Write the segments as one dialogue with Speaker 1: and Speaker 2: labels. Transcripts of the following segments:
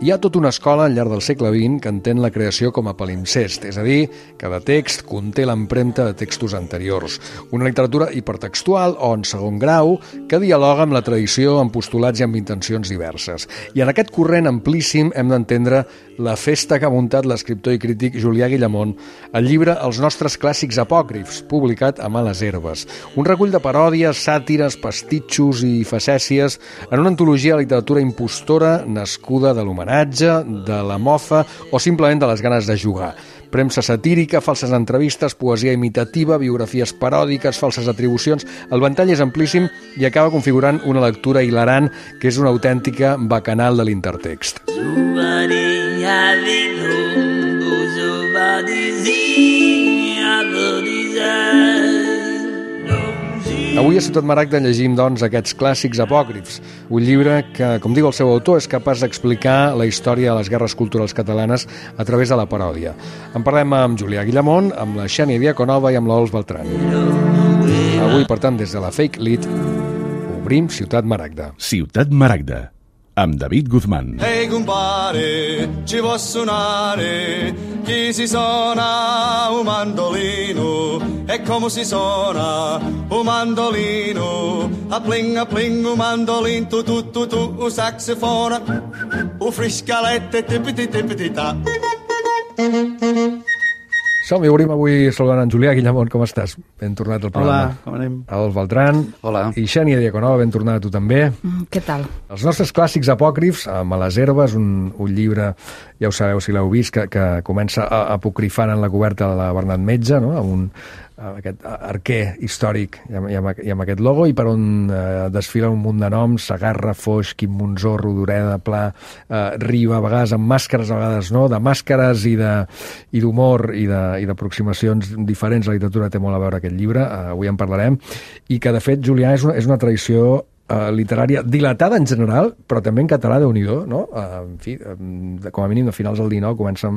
Speaker 1: Hi ha tota una escola al llarg del segle XX que entén la creació com a palimpsest, és a dir, cada text conté l'empremta de textos anteriors. Una literatura hipertextual o en segon grau que dialoga amb la tradició, amb postulats i amb intencions diverses. I en aquest corrent amplíssim hem d'entendre la festa que ha muntat l'escriptor i crític Julià Guillamont al llibre Els nostres clàssics apòcrifs, publicat a Males Herbes. Un recull de paròdies, sàtires, pastitxos i facècies en una antologia de literatura impostora nascuda de l'homenatge, de la mofa o simplement de les ganes de jugar. Premsa satírica, falses entrevistes, poesia imitativa, biografies paròdiques, falses atribucions... El ventall és amplíssim i acaba configurant una lectura hilarant que és una autèntica bacanal de l'intertext. Avui a Ciutat Maragda llegim, doncs, aquests clàssics apòcrifs, un llibre que, com diu el seu autor, és capaç d'explicar la història de les guerres culturals catalanes a través de la paròdia. En parlem amb Julià Guillamont, amb la Xènia Diaconova i amb l'Ols Beltran. Avui, per tant, des de la Fake Lit, obrim Ciutat Maragda.
Speaker 2: Ciutat Maragda, amb David Guzmán.
Speaker 3: Ehi compare, ci può suonare, chi si suona un mandolino, e come si suona un mandolino, a pling un mandolin, tu, un saxofone, un friscalette, tipiti ta.
Speaker 1: Som-hi, obrim avui saludant en Julià Guillamont, com estàs? Ben tornat al programa.
Speaker 4: Hola, com anem?
Speaker 1: Ols Beltran.
Speaker 4: Hola.
Speaker 1: I Xènia Diaconova, ben tornada tu també.
Speaker 5: Què tal?
Speaker 1: Els nostres clàssics apòcrifs, a Males Herbes, un llibre, ja ho sabeu si l'heu vist, que comença apocrifant en la coberta de la Bernat Metge, no? Amb aquest arquer històric i amb aquest logo, i per on desfila un munt de noms: Segarra, Foix, Quim Monzó, Rodoreda, Pla, Riba, a vegades amb màscares, a vegades no, de màscares i d'humor i d'aproximacions diferents. La literatura té molt a veure aquest llibre, avui en parlarem, i que de fet, Julià, és una tradició literària dilatada en general, però també en català, Déu-n'hi-do, no? En fi, com a mínim de finals del XIX comença,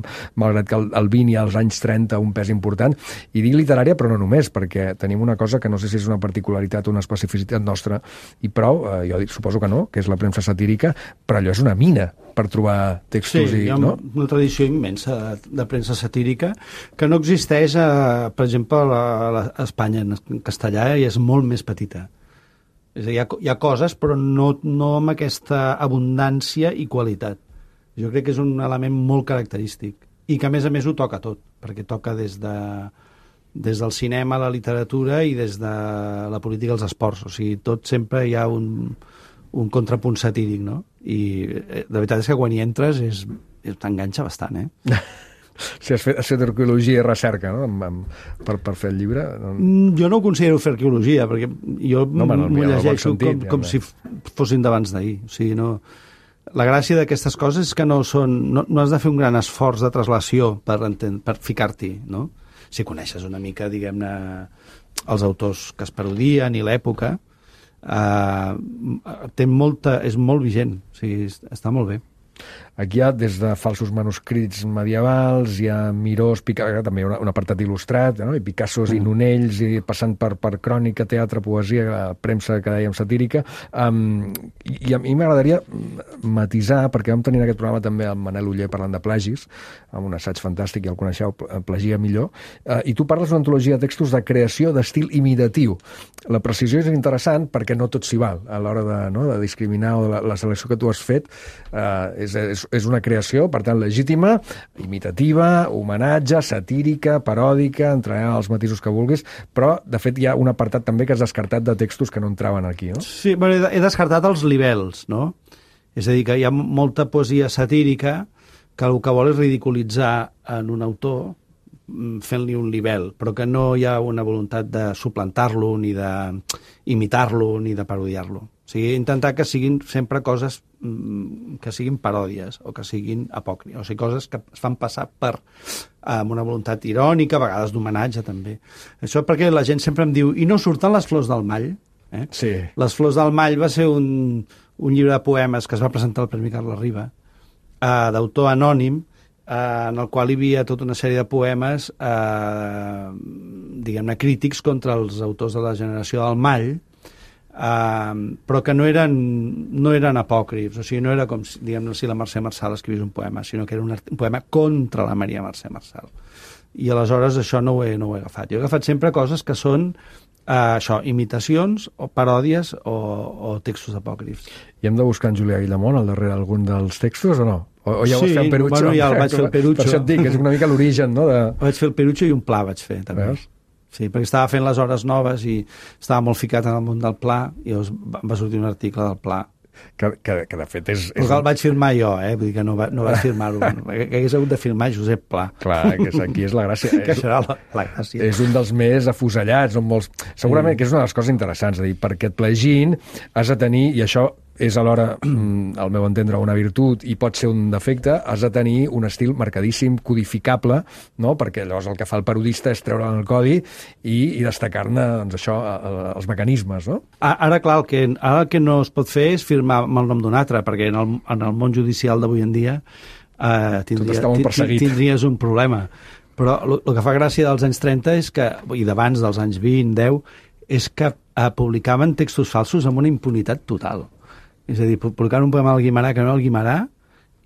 Speaker 1: malgrat que el 20 i als anys 30 un pes important, i dic literària però no només, perquè tenim una cosa que no sé si és una particularitat o una especificitat nostra, i prou, jo suposo que no, que és la premsa satírica, però allò és una mina per trobar textos.
Speaker 4: Sí, hi ha una tradició immensa de premsa satírica que no existeix, per exemple, a Espanya, en castellà, i és molt més petita. És a dir, hi ha coses, però no amb aquesta abundància i qualitat. Jo crec que és un element molt característic i que, a més ho toca tot, perquè toca des del cinema a la literatura i des de la política als esports. O sigui, tot sempre hi ha un contrapunt satíric, no? I la veritat és que quan hi entres t'enganxa bastant,
Speaker 1: Si has fet arqueologia i recerca, no? Per fer el llibre?
Speaker 4: Jo no ho considero fer arqueologia, perquè jo m'ho llegeixo com si fossin d'abans d'ahir. O sigui, no... La gràcia d'aquestes coses és que no has de fer un gran esforç de traslació per ficar-t'hi, no? Si coneixes una mica, diguem-ne, els autors que es parodien i l'època, és molt vigent, o sigui, està molt bé.
Speaker 1: Aquí hi ha des de falsos manuscrits medievals, hi ha Mirós, també un apartat il·lustrat, no? I Picassos i Nonells, i passant per crònica, teatre, poesia, premsa, que dèiem, satírica. I a mi m'agradaria matisar, perquè vam tenir en aquest programa també el Manel Oller parlant de plagis, amb un assaig fantàstic, ja el coneixeu, Plagia millor, i tu parles d'una antologia de textos de creació d'estil imitatiu. La precisió és interessant perquè no tot s'hi val a l'hora de discriminar, o de la selecció que tu has fet. És una creació, per tant, legítima, imitativa, homenatge, satírica, paròdica, entrarà als matisos que vulguis, però, de fet, hi ha un apartat també que has descartat de textos que no entraven aquí, no?
Speaker 4: Sí, bueno, he descartat els libels, no? És a dir, que hi ha molta poesia satírica que el que vol és ridiculitzar en un autor fent-li un libel, però que no hi ha una voluntat de suplantar-lo, ni d'imitar-lo, ni de parodiar-lo. O sigui, intentar que siguin sempre coses que siguin paròdies o que siguin apòcrifes, o sigui, coses que es fan passar amb una voluntat irònica, a vegades d'homenatge també. Això perquè la gent sempre em diu, i no surten les flors del Mall?
Speaker 1: Sí.
Speaker 4: Les flors del Mall va ser un llibre de poemes que es va presentar al Premi Carles Riba, d'autor anònim, en el qual hi havia tota una sèrie de poemes diguem-ne crítics contra els autors de la generació del Mall, però que no eren apòcrifs, o sigui, no era com diguem-ne si la Mercè Marçal escrivís un poema, sinó que era un poema contra la Maria Mercè Marçal. I aleshores això no ho he agafat. Jo he agafat sempre coses que són imitacions o paròdies o textos apòcrifs.
Speaker 1: I hem de buscar en Julià Guillamont al darrere algun dels textos o no? O ja ho vas fer el Perucho?
Speaker 4: Bueno, ja el vaig fer el Perucho.
Speaker 1: Per això et dic, és una mica l'origen, no?
Speaker 4: Vaig fer el Perucho i un pla vaig fer, també.
Speaker 1: Veus?
Speaker 4: Sí, perquè estava fent les hores noves i estava molt ficat en el món del pla i llavors va sortir un article del pla.
Speaker 1: Que de fet és...
Speaker 4: Però el vaig firmar jo, vull dir que no vaig firmar-ho. Que hagués hagut de firmar Josep Pla.
Speaker 1: Clar, que aquí és la gràcia.
Speaker 4: Que serà la gràcia.
Speaker 1: És un dels més afusellats, segurament que és una de les coses interessants, de dir, perquè et plegin has de tenir, i això és alhora, al meu entendre, una virtut i pot ser un defecte, has de tenir un estil marcadíssim, codificable, no? Perquè llavors el que fa el parodista és treure'n el codi i destacar-ne doncs, això, els mecanismes, no?
Speaker 4: Ara, clar, el que no es pot fer és firmar amb el nom d'un altre, perquè en el món judicial d'avui en dia tindries un problema. Però el que fa gràcia dels anys 30 és que, i d'abans dels anys 20, 10, és que publicaven textos falsos amb una impunitat total. És a dir, publicaven un poema del Guimarà que no era el Guimarà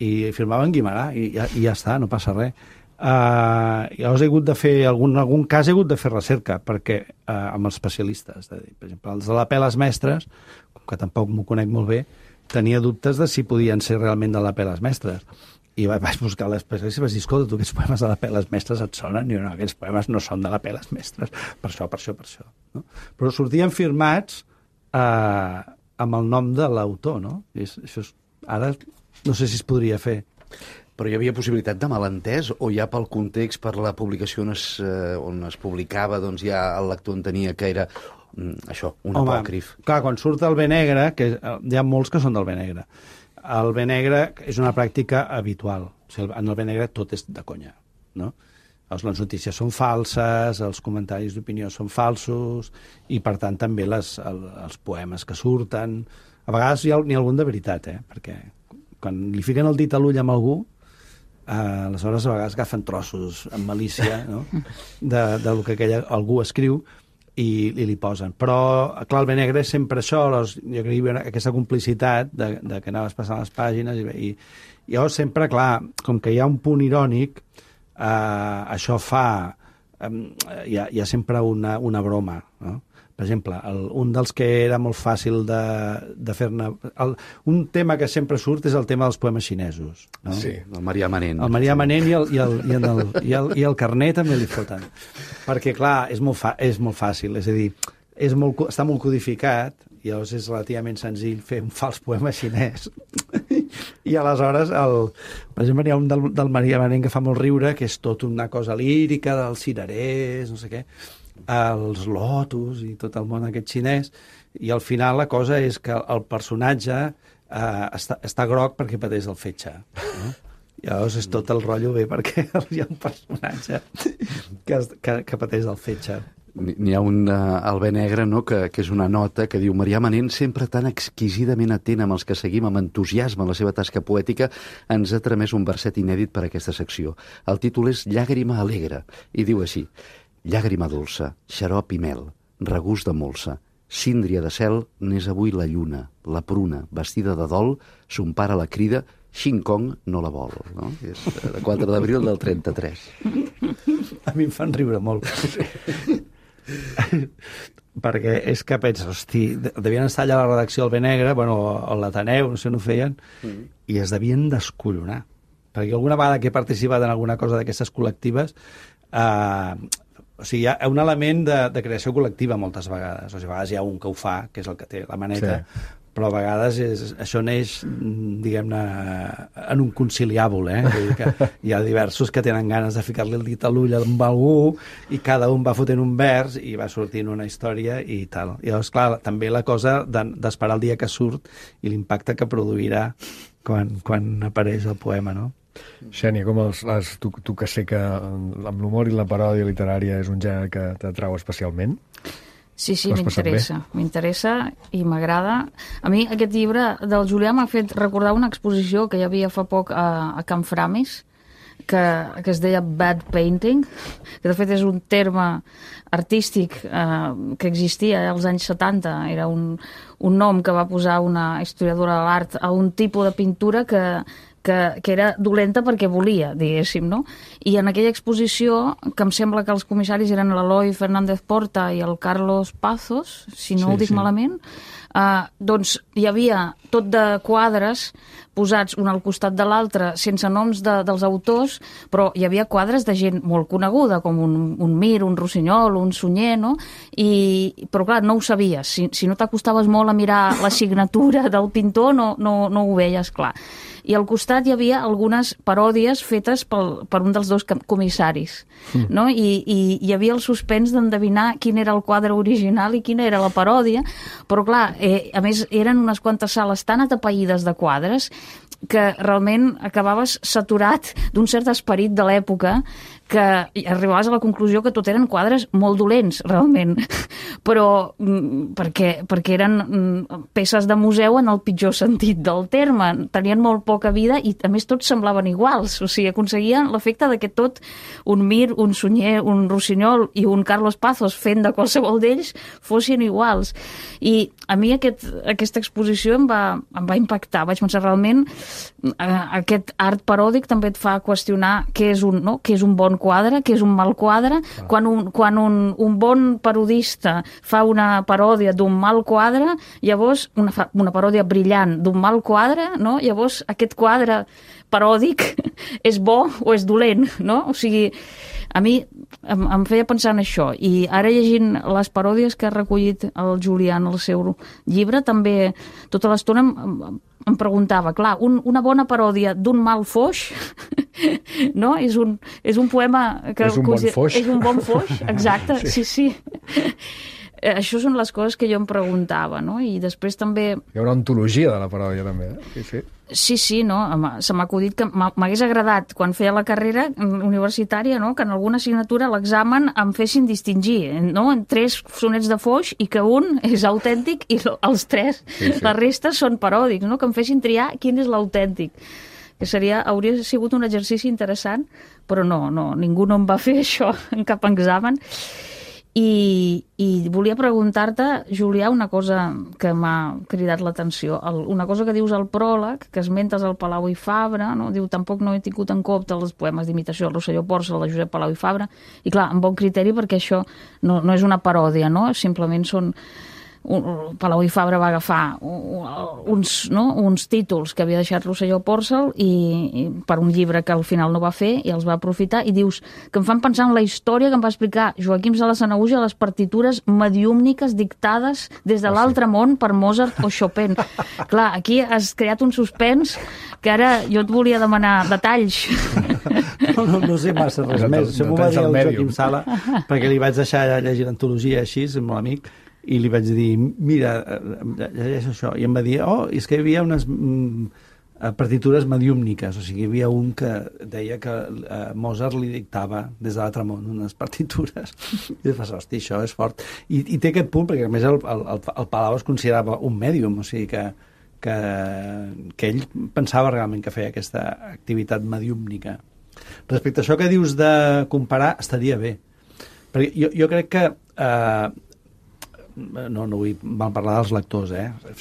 Speaker 4: i firmaven Guimarà i ja està, no passa res. Llavors he hagut de fer, en algun cas he hagut de fer recerca perquè amb els especialistes, per exemple, els de la Peles Mestres, que tampoc m'ho conec molt bé, tenia dubtes de si podien ser realment de la Peles Mestres. I vaig buscar l'especialista i vaig dir, escolta, tu aquests poemes de la Peles Mestres et sonen? I no, aquests poemes no són de la Peles Mestres, per això. No? Però sortien firmats amb el nom de l'autor, no? Ara no sé si es podria fer.
Speaker 5: Però hi havia possibilitat de malentès o ja pel context, per la publicació on es publicava, doncs ja el lector entenia que era això, un apòcrif? Clar,
Speaker 4: quan surt el B negre, que hi ha molts que són del B negre, el B negre és una pràctica habitual. O sigui, en el B negre tot és de conya, no? Les notícies són falses, els comentaris d'opinió són falsos i, per tant, també els poemes que surten. A vegades n'hi ha algun de veritat, perquè quan li fiquen el dit a l'ull amb algú, aleshores a vegades agafen trossos amb malícia, no? del que algú escriu i li posen. Però, clar, el B negre és sempre això, jo creia aquesta complicitat de que anaves passant les pàgines i llavors sempre, clar, com que hi ha un punt irònic, això fa hi ha sempre una broma, no? Per exemple, un dels que era molt fàcil de fer-ne... Un tema que sempre surt és el tema dels poemes xinesos, no?
Speaker 5: Sí, el Marià Manent.
Speaker 4: El Marià Manent i el Carné també li foten. Perquè, clar, és molt fàcil, és a dir, està molt codificat i llavors és relativament senzill fer un fals poema xinès. I aleshores, per exemple, hi ha un del Marià Manent que fa molt riure, que és tot una cosa lírica dels cirerers, no sé què, els lotus i tot el món aquest xinès, i al final la cosa és que el personatge està groc perquè pateix el fetge, no? I llavors és tot el rotllo bé perquè hi ha un personatge que pateix el fetge.
Speaker 5: N'hi ha un al B negre, no?, que és una nota que diu: Marià Manent, sempre tan exquisidament atent amb els que seguim amb entusiasme la seva tasca poètica, ens ha tramès un verset inèdit per a aquesta secció. El títol és Llàgrima alegre, i diu així: llàgrima dolça, xarop i mel, regust de molsa, síndria de cel, n'és avui la lluna, la pruna, vestida de dol, son pare la crida, Xing Kong no la vol, no? És de 4 d'abril del 33.
Speaker 4: A mi em fan riure molt. Perquè és que penses, hosti, devien estar allà a la redacció del B negre, bueno, o l'Ateneu, no sé on ho feien, i es devien descollonar. Perquè alguna vegada que he participat en alguna cosa d'aquestes col·lectives, o sigui, hi ha un element de creació col·lectiva moltes vegades. O sigui, a vegades hi ha un que ho fa, que és el que té la maneta, sí. Però a vegades això neix, diguem-ne, en un conciliàbul, Vull dir que hi ha diversos que tenen ganes de ficar-li el dit a l'ull amb algú i cada un va fotent un vers i va sortint una història i tal. I llavors, clar, també la cosa d'esperar el dia que surt i l'impacte que produirà quan apareix el poema, no?
Speaker 1: Xènia, com tu que sé que amb l'humor i la paròdia literària és un gènere que t'atrau especialment?
Speaker 6: Sí, m'interessa i m'agrada. A mi aquest llibre del Julià m'ha fet recordar una exposició que hi havia fa poc a Can Framis, que es deia bad painting, que de fet és un terme artístic que existia als anys 70. Era un nom que va posar una historiadora de l'art a un tipus de pintura que era dolenta perquè volia, diguéssim, no? I en aquella exposició, que em sembla que els comissaris eren l'Eloi Fernández Porta i el Carlos Pazos, si no ho dic malament, doncs hi havia tot de quadres posats un al costat de l'altre, sense noms dels autors, però hi havia quadres de gent molt coneguda, com un Mir, un Rossinyol, un Sunyer, no? Però clar, no ho sabies. Si no t'acostaves molt a mirar la signatura del pintor, no ho veies clar. I al costat hi havia algunes paròdies fetes per un dels dos comissaris, no? I hi havia el suspens d'endevinar quin era el quadre original i quina era la paròdia, però clar, a més eren unes quantes sales tan atapeïdes de quadres que realment acabaves saturat d'un cert esperit de l'època, que arribaves a la conclusió que tot eren quadres molt dolents, realment, però perquè eren peces de museu en el pitjor sentit del terme, tenien molt poca vida i a més tots semblaven iguals, o sigui, aconseguien l'efecte de que tot un Mir, un Sunyer, un Rossinyol i un Carlos Pazos fent de qualsevol d'ells fossin iguals. I a mi aquesta exposició em va impactar, vaig pensar realment aquest art paròdic també et fa qüestionar què és un bon quadre, què és un mal quadre. Quan un bon parodista fa una paròdia d'un mal quadre, llavors una paròdia brillant d'un mal quadre, no? Llavors aquest quadre paròdic és bo o és dolent, no? O sigui, a mi em feia pensar en això, i ara llegint les paròdies que ha recollit el Julià en el seu llibre, també tota l'estona em preguntava, clar, una bona paròdia d'un mal foix, no? És un poema que...
Speaker 1: És un bon foix.
Speaker 6: És un bon foix, exacte, sí. Això són les coses que jo em preguntava, no? I després també...
Speaker 1: Hi ha una ontologia de la paròdia, també,
Speaker 6: Sí, no? Se m'ha acudit que m'hagués agradat, quan feia la carrera universitària, no? Que en alguna assignatura a l'examen em fessin distingir, no? En 3 sonets de foix i que un és autèntic i els 3, la resta són paròdics, no? Que em fessin triar quin és l'autèntic. Que hauria sigut un exercici interessant, però no, ningú no em va fer això en cap examen. I volia preguntar-te, Julià, una cosa que m'ha cridat l'atenció. Una cosa que dius al pròleg, que esmentes el Palau i Fabra, no? Diu, tampoc no he tingut en compte els poemes d'imitació del Rosselló Porcel, de Josep Palau i Fabra, i clar, amb bon criteri, perquè això no és una paròdia, no? Simplement són... Palau i Fabra va agafar uns títols que havia deixat Rosselló Porcel i per un llibre que al final no va fer i els va aprofitar, i dius que em fan pensar en la història que em va explicar Joaquim Sala Sanahuja, les partitures mediúmniques dictades des de l'altre món per Mozart o Chopin. Clar, aquí has creat un suspens que ara jo et volia demanar detalls.
Speaker 4: No sé massa res més. Això m'ho va dir el Joaquim Sala, perquè li vaig deixar llegir l'antologia així, és molt amic, i li vaig dir, mira, llegeix això. I em va dir, és que hi havia unes partitures mediúmniques, o sigui, hi havia un que deia que Mozart li dictava des de l'altre món unes partitures. I fas, hosti, això és fort. I té aquest punt, perquè a més el Palau es considerava un mèdium, o sigui que ell pensava realment que feia aquesta activitat mediúmnica. Respecte a això que dius de comparar, estaria bé. Perquè jo crec que... no vull mal parlar dels lectors,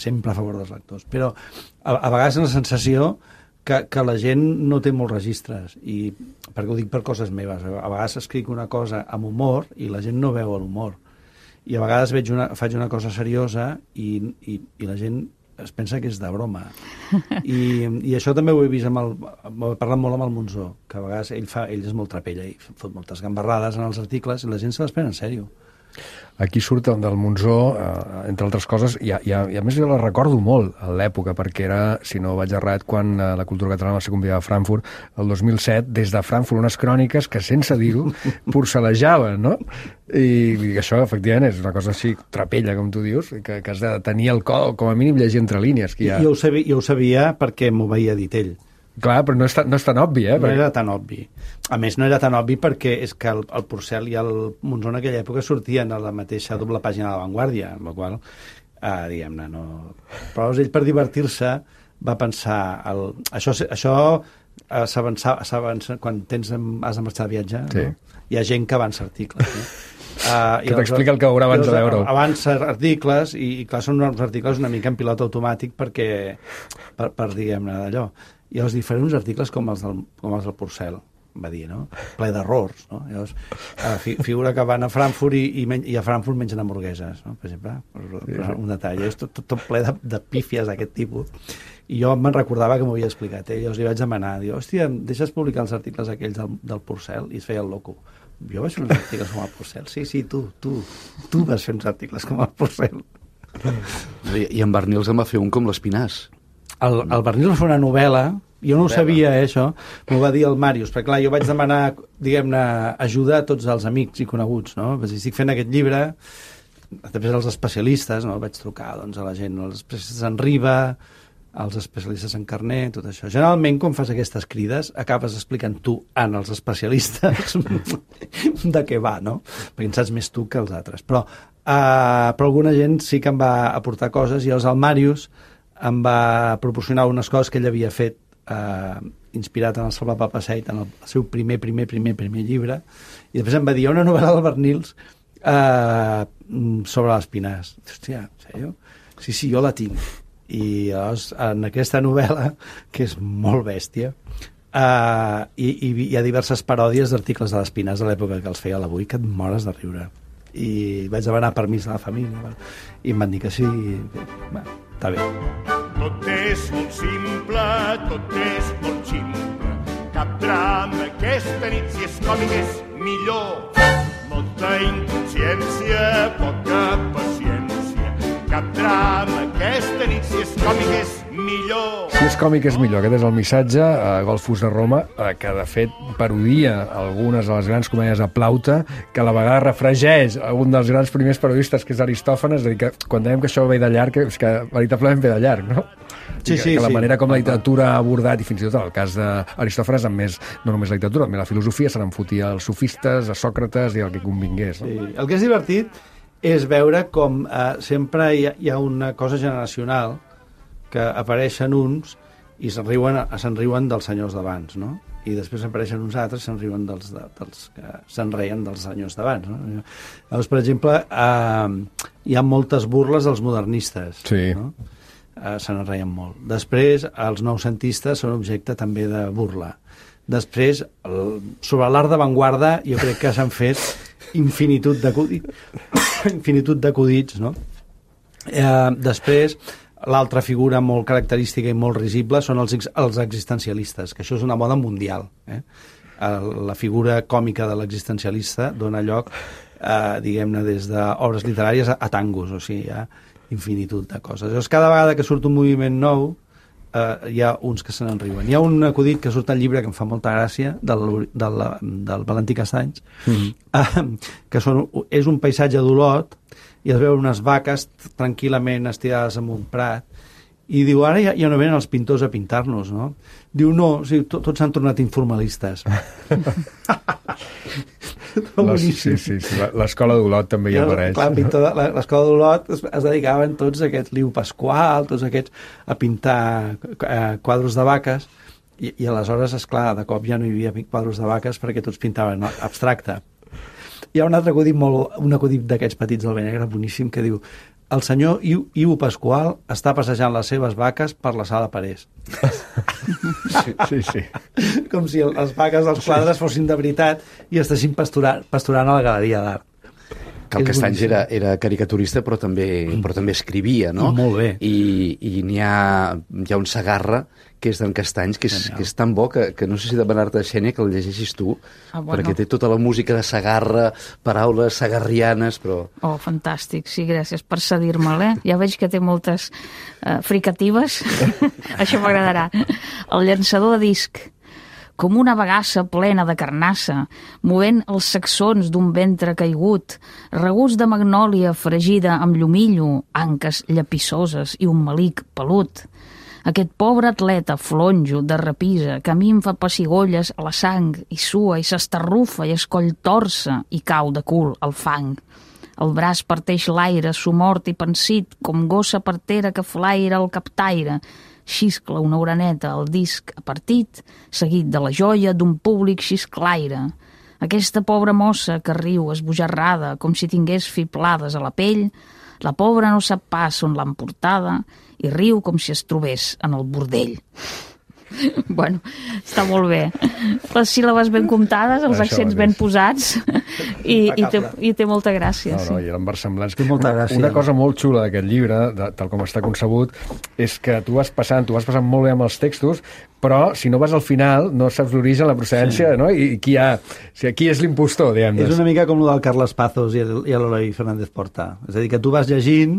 Speaker 4: sempre a favor dels lectors, però a vegades la sensació que la gent no té molts registres, i perquè ho dic per coses meves, a vegades escric una cosa amb humor i la gent no veu l'humor, i a vegades faig una cosa seriosa i la gent es pensa que és de broma, i això també ho he vist he parlat molt amb el Monzó, que a vegades ell és molt trapella i fot moltes gambarrades en els articles i la gent se les pren en sèrio.
Speaker 1: Aquí surt del Monzó, entre altres coses, i a més jo la recordo molt a l'època, perquè era, si no vaig errat, quan la cultura catalana va ser convidada a Frankfurt el 2007, des de Frankfurt unes cròniques que, sense dir-ho, porcelejaven, no? I això, efectivament, és una cosa així trapella, com tu dius, que has de tenir el col, com a mínim llegir entre línies.
Speaker 4: Jo ho sabia perquè m'ho veia dit ell.
Speaker 1: Clar, però no és tan obvi,
Speaker 4: No era tan obvi. A més, no era tan obvi perquè és que el Porcel i el Monzó en aquella època sortien a la mateixa doble pàgina de La Vanguardia, amb la qual diguem-ne, no... Però ell, per divertir-se, va pensar... Això s'avança quan has de marxar de viatge,
Speaker 1: Sí.
Speaker 4: no? Hi ha gent que avança articles, no?
Speaker 1: Que t'explica el que veurà abans de veure-ho.
Speaker 4: Avança articles, i clar, són uns articles una mica en pilot automàtic perquè, per diguem-ne, d'allò. I els diferents articles com els del Porcel, va dir, no? Ple d'errors, no? Llavors, figura que van a Frankfurt i a Frankfurt mengen hamburgueses, no? Per exemple, un detall. És tot ple de pífies d'aquest tipus. I jo me'n recordava que m'ho havia explicat. Llavors li vaig demanar, diu, hòstia, em deixes publicar els articles aquells del Porcel? I es feia el loco. Jo vaig fer uns articles com el Porcel. Sí, tu vas fer uns articles com el Porcel.
Speaker 5: I en Barnils en va fer un com l'Espinàs.
Speaker 4: El Barnils va fer una novel·la, jo no ho sabia, això, m'ho va dir el Màrius, perquè clar, jo vaig demanar, diguem-ne, ajuda a tots els amics i coneguts, no? Perquè estic fent aquest llibre, després als especialistes, no? Vaig trucar, doncs, a la gent, als especialistes en Riba, als especialistes en carner, tot això. Generalment, quan fas aquestes crides, acabes explicant tu als especialistes de què va, no? Perquè en saps més tu que els altres. Però alguna gent sí que em va aportar coses, i el Màrius em va proporcionar unes coses que ell havia fet inspirat en el Salva Papaseit, en el seu primer llibre, i després em va dir una novel·la del Barnils sobre l'Espinàs. Hòstia, en sèrio? Sí, jo la tinc. I llavors, en aquesta novel·la, que és molt bèstia, hi ha diverses paròdies d'articles de l'Espinàs de l'època que els feia a l'Avui, que et mores de riure. I vaig demanar permís a la família, i em van dir que sí, està bé.
Speaker 7: Tot és molt simple, tot és molt ximple. Cap drama aquesta nit, si és còmic és millor. Molta inconsciència, poca paciència. Cap drama aquesta nit, si és còmic és millor.
Speaker 1: Si és còmic és millor, aquest és el missatge. Golfus de Roma, que de fet parodia algunes de les grans comèdies de Plaute, que a la vegada refregeix un dels grans primers parodistes, que és Aristòfanes, és a dir, que quan dèiem que això ve de llarg, és que veritablement ve de llarg, no?
Speaker 4: Sí,
Speaker 1: que la manera com la literatura ha abordat, i fins i tot en el cas d'Aristòfanes, amb més, no només la literatura, també la filosofia, se n'enfotia als sofistes, a Sòcrates i el que convingués. No?
Speaker 4: Sí. El que és divertit és veure com sempre hi ha una cosa generacional que apareixen uns i se'n riuen dels senyors d'abans, no? I després apareixen uns altres i se'n riuen dels que se'n reien dels senyors d'abans, no? Llavors, per exemple, hi ha moltes burles dels modernistes,
Speaker 1: sí.
Speaker 4: No? Se n'en reien molt. Després, els noucentistes són objecte també de burla. Després, sobre l'art d'avantguarda, jo crec que s'han fet infinitud d'acudits, no? Després, l'altra figura molt característica i molt risible són els existencialistes, que això és una moda mundial. La figura còmica de l'existencialista dona lloc, diguem-ne, des d'obres literàries a tangos, o sigui, hi ha infinitud de coses. Llavors, cada vegada que surt un moviment nou, hi ha uns que se n'enriuen. Hi ha un acudit que surt al llibre que em fa molta gràcia, del Valentí Castanys, que és un paisatge d'Olot, i es veuen unes vaques tranquil·lament estirades en un prat, i diu, ara ja no venen els pintors a pintar-nos, no? Diu, no, o sigui, tots s'han tornat informalistes.
Speaker 1: Sí. L'escola d'Olot també hi apareix.
Speaker 4: Clar, l'escola d'Olot es dedicaven tots aquests, Liu Pasqual, tots aquests, a pintar quadros de vaques, i aleshores, esclar, de cop ja no hi havia quadros de vaques perquè tots pintaven abstracte. Hi ha un altre acudit, un acudit d'aquests petits del Benegre, boníssim, que diu: el senyor Iu Pasqual està passejant les seves vaques per la sala Parés.
Speaker 1: Sí.
Speaker 4: Com si les vaques dels quadres fossin de veritat i estessin pasturant a la galeria d'art.
Speaker 5: Que el Castanys era caricaturista, però també escrivia, no?
Speaker 4: Molt bé.
Speaker 5: I hi ha un Segarra, que és d'en Castanys, que és tan bo que no sé si demanar-te, Xènia, que el llegeixis tu, perquè té tota la música de Segarra, paraules segarrianes, però...
Speaker 6: Oh, fantàstic, sí, gràcies per cedir-me'l, Ja veig que té moltes fricatives. Això m'agradarà. El llançador de disc, com una bagassa plena de carnassa, movent els sacsons d'un ventre caigut, regust de magnòlia fregida amb llumillo, anques llapissoses i un melic pelut. Aquest pobre atleta flonjo de rapisa que a mi em fa pessigolles a la sang i sua i s'estarrufa i es coll torça i cau de cul al fang. El braç parteix l'aire, somort i pensit, com gossa partera que flaira el captaire. xiscla una oreneta al disc apartit, seguit de la joia d'un públic xisclaire. Aquesta pobra mossa que riu esbojarrada com si tingués fiblades a la pell, la pobra no sap pas on l'han portada i riu com si es trobés en el bordell. Bueno, està molt bé. Les síl·labes ben comptades, els accents ben posats i té molta gràcia.
Speaker 1: No, i eren versemblants.
Speaker 4: Molta gràcia.
Speaker 1: Una cosa molt xula d'aquest llibre, tal com està concebut, és que tu vas passant molt bé amb els textos, però si no vas al final no saps l'origen, la procedència, no? I qui és l'impostor, diguem-ne.
Speaker 4: És una mica com el del Carles Pazos i l'Eloi Fernández Porta. És a dir, que tu vas llegint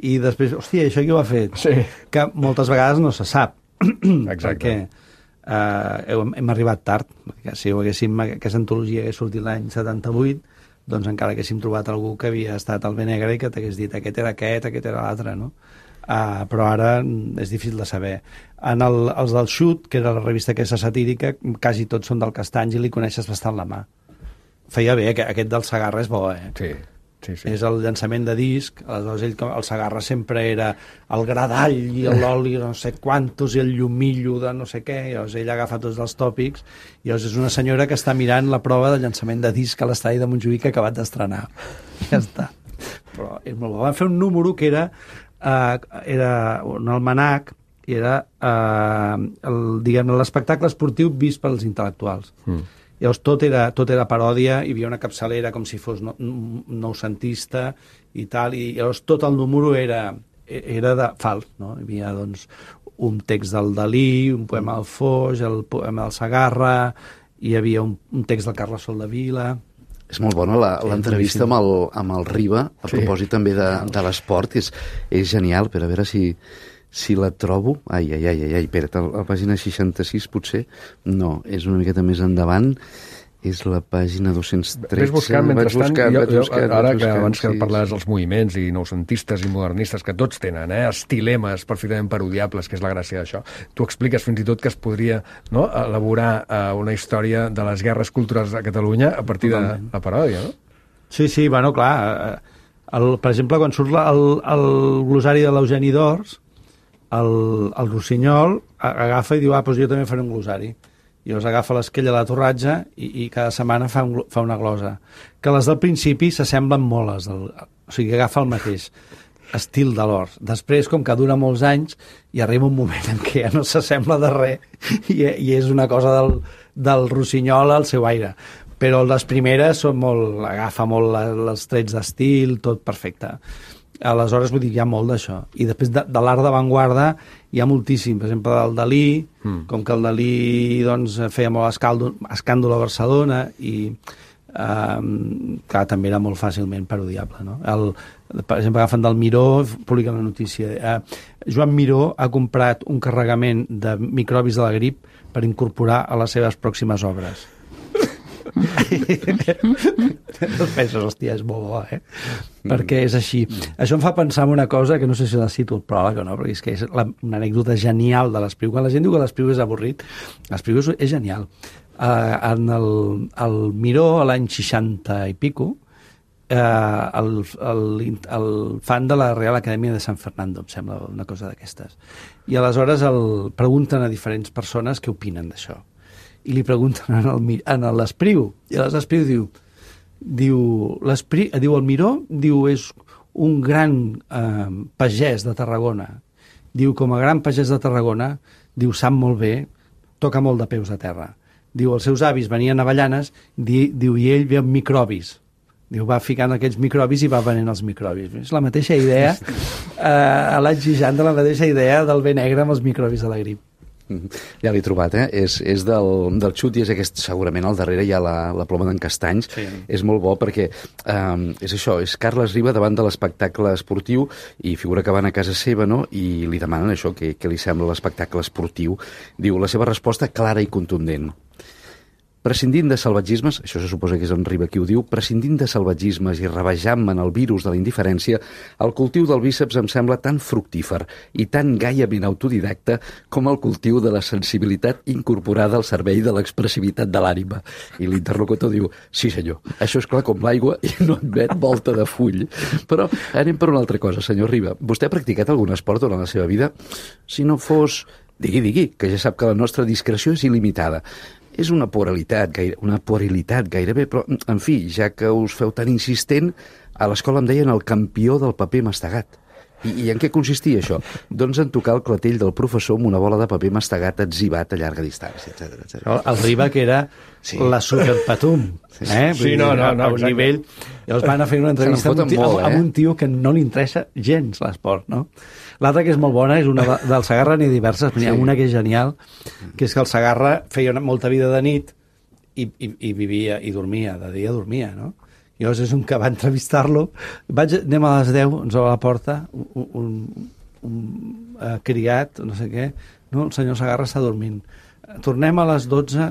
Speaker 4: i després, hòstia, això qui ho ha fet?
Speaker 1: Sí.
Speaker 4: Que moltes vegades no se sap.
Speaker 1: Exacte.
Speaker 4: Perquè hem arribat tard, perquè si aquesta antologia hagués sortit l'any 78, doncs encara haguéssim trobat algú que havia estat al Benegre i que t'hagués dit aquest era l'altre, no? Però ara és difícil de saber. Els del Xut, que era la revista aquesta satírica, quasi tots són del Castanys i li coneixes bastant la mà. Feia bé, aquest del Segarra és bo,
Speaker 1: Sí.
Speaker 4: És el llançament de disc, aleshores el Segarra sempre era el gradall i l'oli no sé quantos i el llumillo de no sé què, i llavors ell agafa tots els tòpics i llavors és una senyora que està mirant la prova de llançament de disc a l'estadi de Montjuïc que ha acabat d'estrenar. Ja està. Però és molt bo. Van fer un número que era un almanac i era l'espectacle esportiu vist pels intel·lectuals. Llavors tot era paròdia, hi havia una capçalera com si fos noucentista i tal, i llavors tot el número era de fals, no? Hi havia doncs un text del Dalí, un poema del Foix, el poema del Segarra, hi havia un text del Carles Soldevila.
Speaker 5: És molt bona l'entrevista amb el Riba, a propòsit també de l'esport, és genial, però a veure si la trobo... Ai, espera't, a la pàgina 66 potser? No, és una miqueta més endavant, és la pàgina 213...
Speaker 1: Ves buscant, mentrestant, ara que abans que parlaves dels moviments i noucentistes i modernistes, que tots tenen estilemes perfectament parodiables, que és la gràcia d'això, tu expliques fins i tot que es podria elaborar una història de les guerres culturals a Catalunya a partir de la paròdia, no?
Speaker 4: Sí, bueno, clar, per exemple, quan surt el glosari de l'Eugeni d'Ors, el Rossinyol agafa i diu, doncs jo també faré un glosari. I llavors agafa l'esquella de la Torratja i cada setmana fa una glosa. Que les del principi s'assemblen molt, o sigui, agafa el mateix estil de l'Ors. Després, com que dura molts anys, hi arriba un moment en què ja no s'assembla de res i és una cosa del Rossinyol al seu aire. Però les primeres agafa molt els trets d'estil, tot perfecte. Aleshores, vull dir, hi ha molt d'això. I després de l'art d'avantguarda hi ha moltíssim. Per exemple, del Dalí, com que el Dalí doncs, feia molt escàndol a Barcelona i clar, també era molt fàcilment parodiable, no? Per exemple, agafen del Miró, publica una notícia. Joan Miró ha comprat un carregament de microbis de la grip per incorporar a les seves pròximes obres. No penses, hòstia, és molt bo, perquè és així. Això em fa pensar en una cosa que no sé si la cito al pròleg o no, perquè és que és una anècdota genial de l'Espriu. Quan la gent diu que l'Espriu és avorrit, l'Espriu és genial. En el Miró, a l'any 60 i pico, el fan de la Real Acadèmia de San Fernando, em sembla, una cosa d'aquestes. I aleshores pregunten a diferents persones què opinen d'això. I li pregunten a l'Espriu, i l'Espriu diu el Miró és un gran pagès de Tarragona. Diu, com a gran pagès de Tarragona, sap molt bé, toca molt de peus a terra. Diu, els seus avis venien a Avellanes, diu, i ell ve amb microbis. Diu, va ficant aquells microbis i va venent els microbis. És la mateixa idea, a l'any 60, la mateixa idea del bé negre amb els microbis de la grip.
Speaker 5: Ja l'he trobat, és del Xut i és aquest, segurament al darrere hi ha la ploma d'en Castanys. Sí. És molt bo perquè és això, és Carles Riba davant de l'espectacle esportiu i figura que van a casa seva, no? I li demanen això, què li sembla l'espectacle esportiu. Diu, la seva resposta clara i contundent. prescindint de salvatgismes, això se suposa que és en Riba qui ho diu, prescindint de salvatgismes i rebejant-me en el virus de la indiferència, el cultiu del bíceps em sembla tan fructífer i tan gaiament autodidacta com el cultiu de la sensibilitat incorporada al servei de l'expressivitat de l'ànima. I l'interlocutor diu, sí senyor, això és clar com l'aigua i no admet volta de full. Però anem per una altra cosa, senyor Riba. Vostè ha practicat algun esport durant la seva vida? Si no fos... Digui, que ja sap que la nostra discreció és il·limitada. És una puerilitat gairebé, però, en fi, ja que us feu tan insistent, a l'escola em deien el campió del paper mastegat. I en què consistia això? Doncs en tocar el clatell del professor amb una bola de paper mastegat etzibat a llarga distància, etc.
Speaker 4: El Riba, que era la superpatum.
Speaker 1: Sí, no,
Speaker 4: a un nivell... Llavors van a fer una entrevista amb un tio que no li interessa gens l'esport, no? L'altra que és molt bona és una del Segarra, n'hi ha diverses, però n'hi ha una que és genial, que és que el Segarra feia molta vida de nit i vivia i dormia, de dia dormia, no? I llavors és un que va entrevistar-lo, anem a les 10, ens obre la porta, un criat, no sé què, no, el senyor Segarra està dormint. Tornem a les 12,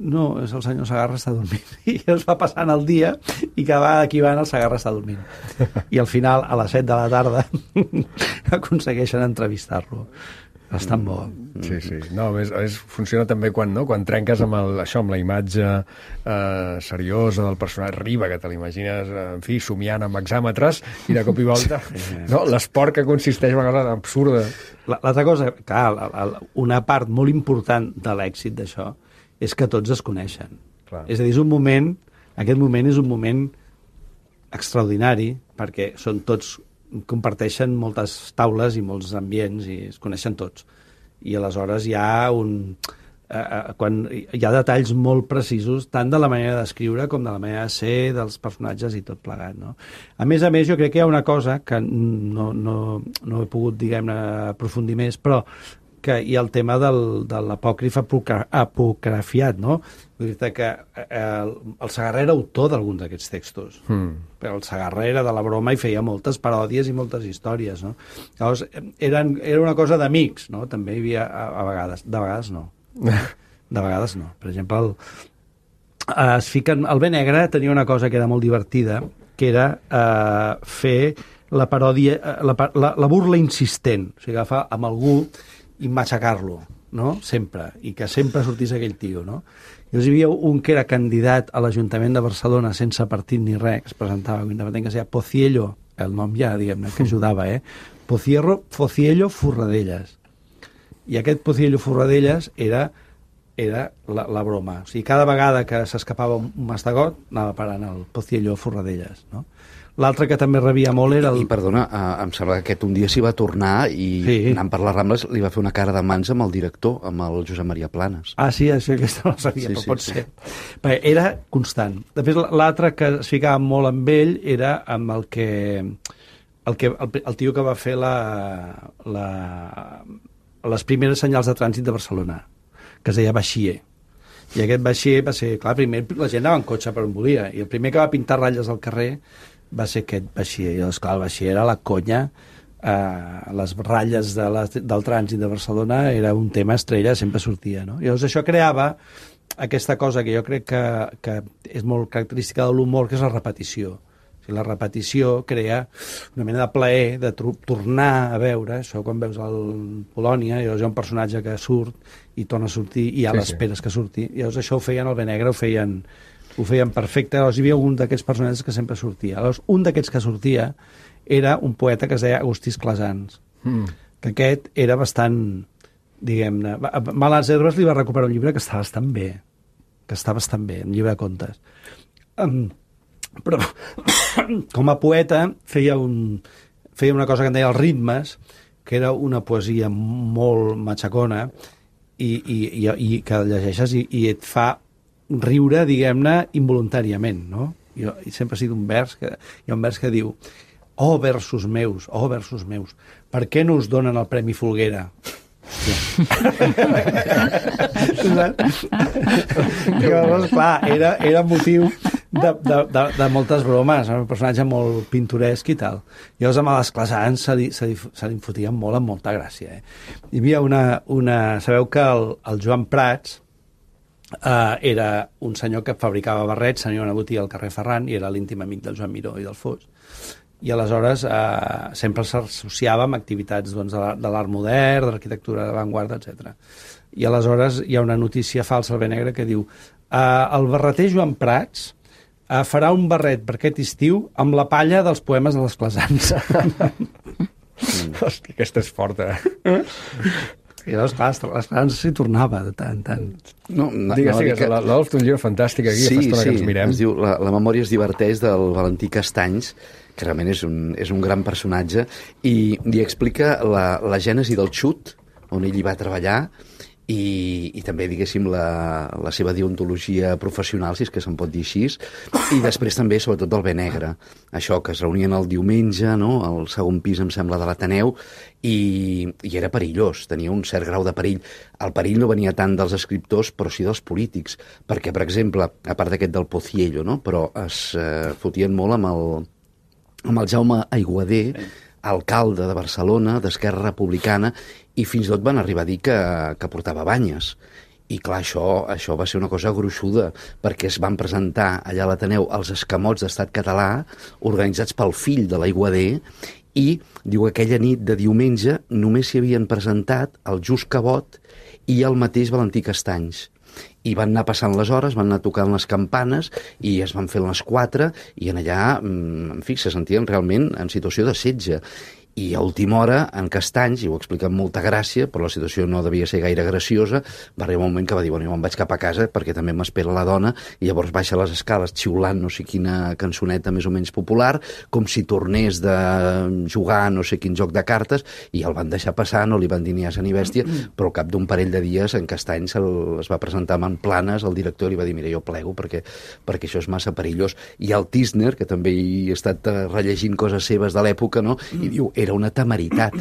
Speaker 4: no, és el senyor Segarra està dormint. I es va passant el dia i cada vegada que hi van el Segarra està dormint. I al final, a les 7 de la tarda, aconsegueixen entrevistar-lo. Bastant bo.
Speaker 1: Sí. No, funciona també quan trenques amb amb la imatge seriosa del personatge Riba, que te l'imagines, en fi, somiant amb exàmetres, i de cop i volta l'esport que consisteix en una cosa absurda.
Speaker 4: L'altra cosa, clar, una part molt important de l'èxit d'això és que tots es coneixen. Clar. És a dir, aquest moment és un moment extraordinari, perquè són tots comparteixen moltes taules i molts ambients i es coneixen tots. I aleshores hi ha quan hi ha detalls molt precisos tant de la manera d'escriure com de la manera de ser dels personatges i tot plegat, no? A més, jo crec que hi ha una cosa que no he pogut, diguem-ne, aprofundir més, però que hi ha el tema de l'apòcrif apocrifiat, no? Vull dir que el Segarra era autor d'alguns d'aquests textos, però el Segarra era de la broma i feia moltes paròdies i moltes històries, no? Llavors, era una cosa d'amics, no? També hi havia, a vegades, de vegades no. De vegades no. Per exemple, el Ben Negre tenia una cosa que era molt divertida, que era fer la paròdia, la burla insistent, o sigui, agafar amb algú i matxacar-lo, no? Sempre, i que sempre sortís aquell tio, no? Llavors hi havia un que era candidat a l'Ajuntament de Barcelona sense partit ni res, que es presentava independent, que es deia Pociello, el nom ja, diguem-ne, que ajudava, Pociello Forradellas. I aquest Pociello Forradellas era la broma. O sigui, cada vegada que s'escapava un mastegot, anava parant el Pociello Forradellas, no? L'altre que també rebia molt era...
Speaker 5: I perdona, em sembla que aquest un dia s'hi va tornar i anant per les Rambles li va fer una cara de mans amb el director, amb el Josep Maria Planes.
Speaker 4: Ah, sí, això aquesta no ho sabia, però pot ser. Perquè era constant. Després, l'altre que es ficava molt amb ell era amb el tio que va fer les primeres senyals de trànsit de Barcelona, que es deia Baixier. I aquest Baixier va ser... Clar, primer la gent anava en cotxe per on volia, i el primer que va pintar ratlles al carrer va ser aquest Baixier. I esclar, el Baixier era la conya, les ratlles del trànsit de Barcelona era un tema estrella, sempre sortia, no? I llavors això creava aquesta cosa que jo crec que és molt característica de l'humor, que és la repetició. O sigui, la repetició crea una mena de plaer de tornar a veure això. Quan veus el Polònia, llavors hi ha un personatge que surt i torna a sortir i ja l'esperes que surti. I llavors això ho feien el Ben Negre, ho feien perfecte. Llavors hi havia un d'aquests personatges que sempre sortia. Llavors, un d'aquests que sortia era un poeta que es deia Agustí Esclasans, que aquest era bastant, diguem-ne... Males Herbes li va recuperar un llibre que està bastant bé, un llibre de contes. Però com a poeta feia una cosa que en deia els ritmes, que era una poesia molt matxacona i que llegeixes i et fa riure, diguem-ne, involuntàriament, no? Jo sempre he sigut hi ha un vers que diu: oh, versos meus, per què no us donen el Premi Folguera? Llavors, clar, era motiu de moltes bromes, un personatge molt pintoresc i tal. Llavors amb l'Esclasans se li fotien molt, amb molta gràcia. Hi havia una... Sabeu que el Joan Prats era un senyor que fabricava barrets, tenia una botiga al carrer Ferran i era l'íntim amic del Joan Miró i del Fos. I aleshores sempre s'associava amb activitats doncs, de l'art modern, de l'arquitectura d'avantguarda, etc. I aleshores hi ha una notícia falsa al Benegre que diu el barreter Joan Prats farà un barret per aquest estiu amb la palla dels poemes de les Classans.
Speaker 1: Hòstia, aquesta és forta.
Speaker 4: I llavors, clar, les Classans s'hi tornava de tant en tant.
Speaker 1: No, digues, l'Adolf té un llibre fantàstic aquí, fa estona que ens mirem.
Speaker 5: Es diu La memòria es diverteix, del Valentí Castanys, que realment és un gran personatge, i explica la gènesi del xut, on ell hi va treballar, i també, diguéssim, la seva deontologia professional, si és que se'n pot dir així, i després també, sobretot, del Benegre. Això, que es reunien el diumenge, no?, al segon pis, em sembla, de l'Ateneu, i era perillós, tenia un cert grau de perill. El perill no venia tant dels escriptors, però sí dels polítics, perquè, per exemple, a part d'aquest del Pociello, no?, però es fotien molt amb el Jaume Aiguader, alcalde de Barcelona, d'Esquerra Republicana, i fins i tot van arribar a dir que portava banyes. I clar, això va ser una cosa gruixuda, perquè es van presentar allà a l'Ateneu els escamots d'Estat Català, organitzats pel fill de l'Aiguader, i, diu, aquella nit de diumenge només s'hi havien presentat el Just Cabot i el mateix Valentí Castanys. I van anar passant les hores, van anar tocant les campanes i es van fer les 4 i en allà, en fi, se sentien realment en situació de setge. I a última hora, en Castanys, i ho explica amb molta gràcia, però la situació no devia ser gaire graciosa, va arribar un moment que va dir, bueno, jo me'n vaig cap a casa perquè també m'espera la dona, i llavors baixa les escales xiulant no sé quina cançoneta més o menys popular, com si tornés de jugar no sé quin joc de cartes, i el van deixar passar, no li van dir ni asa ni bèstia, però al cap d'un parell de dies en Castanys es va presentar amb Planes, el director, i li va dir, mira, jo plego perquè això és massa perillós. I el Tisner, que també hi ha estat rellegint coses seves de l'època, no?, i diu, era una temeritat,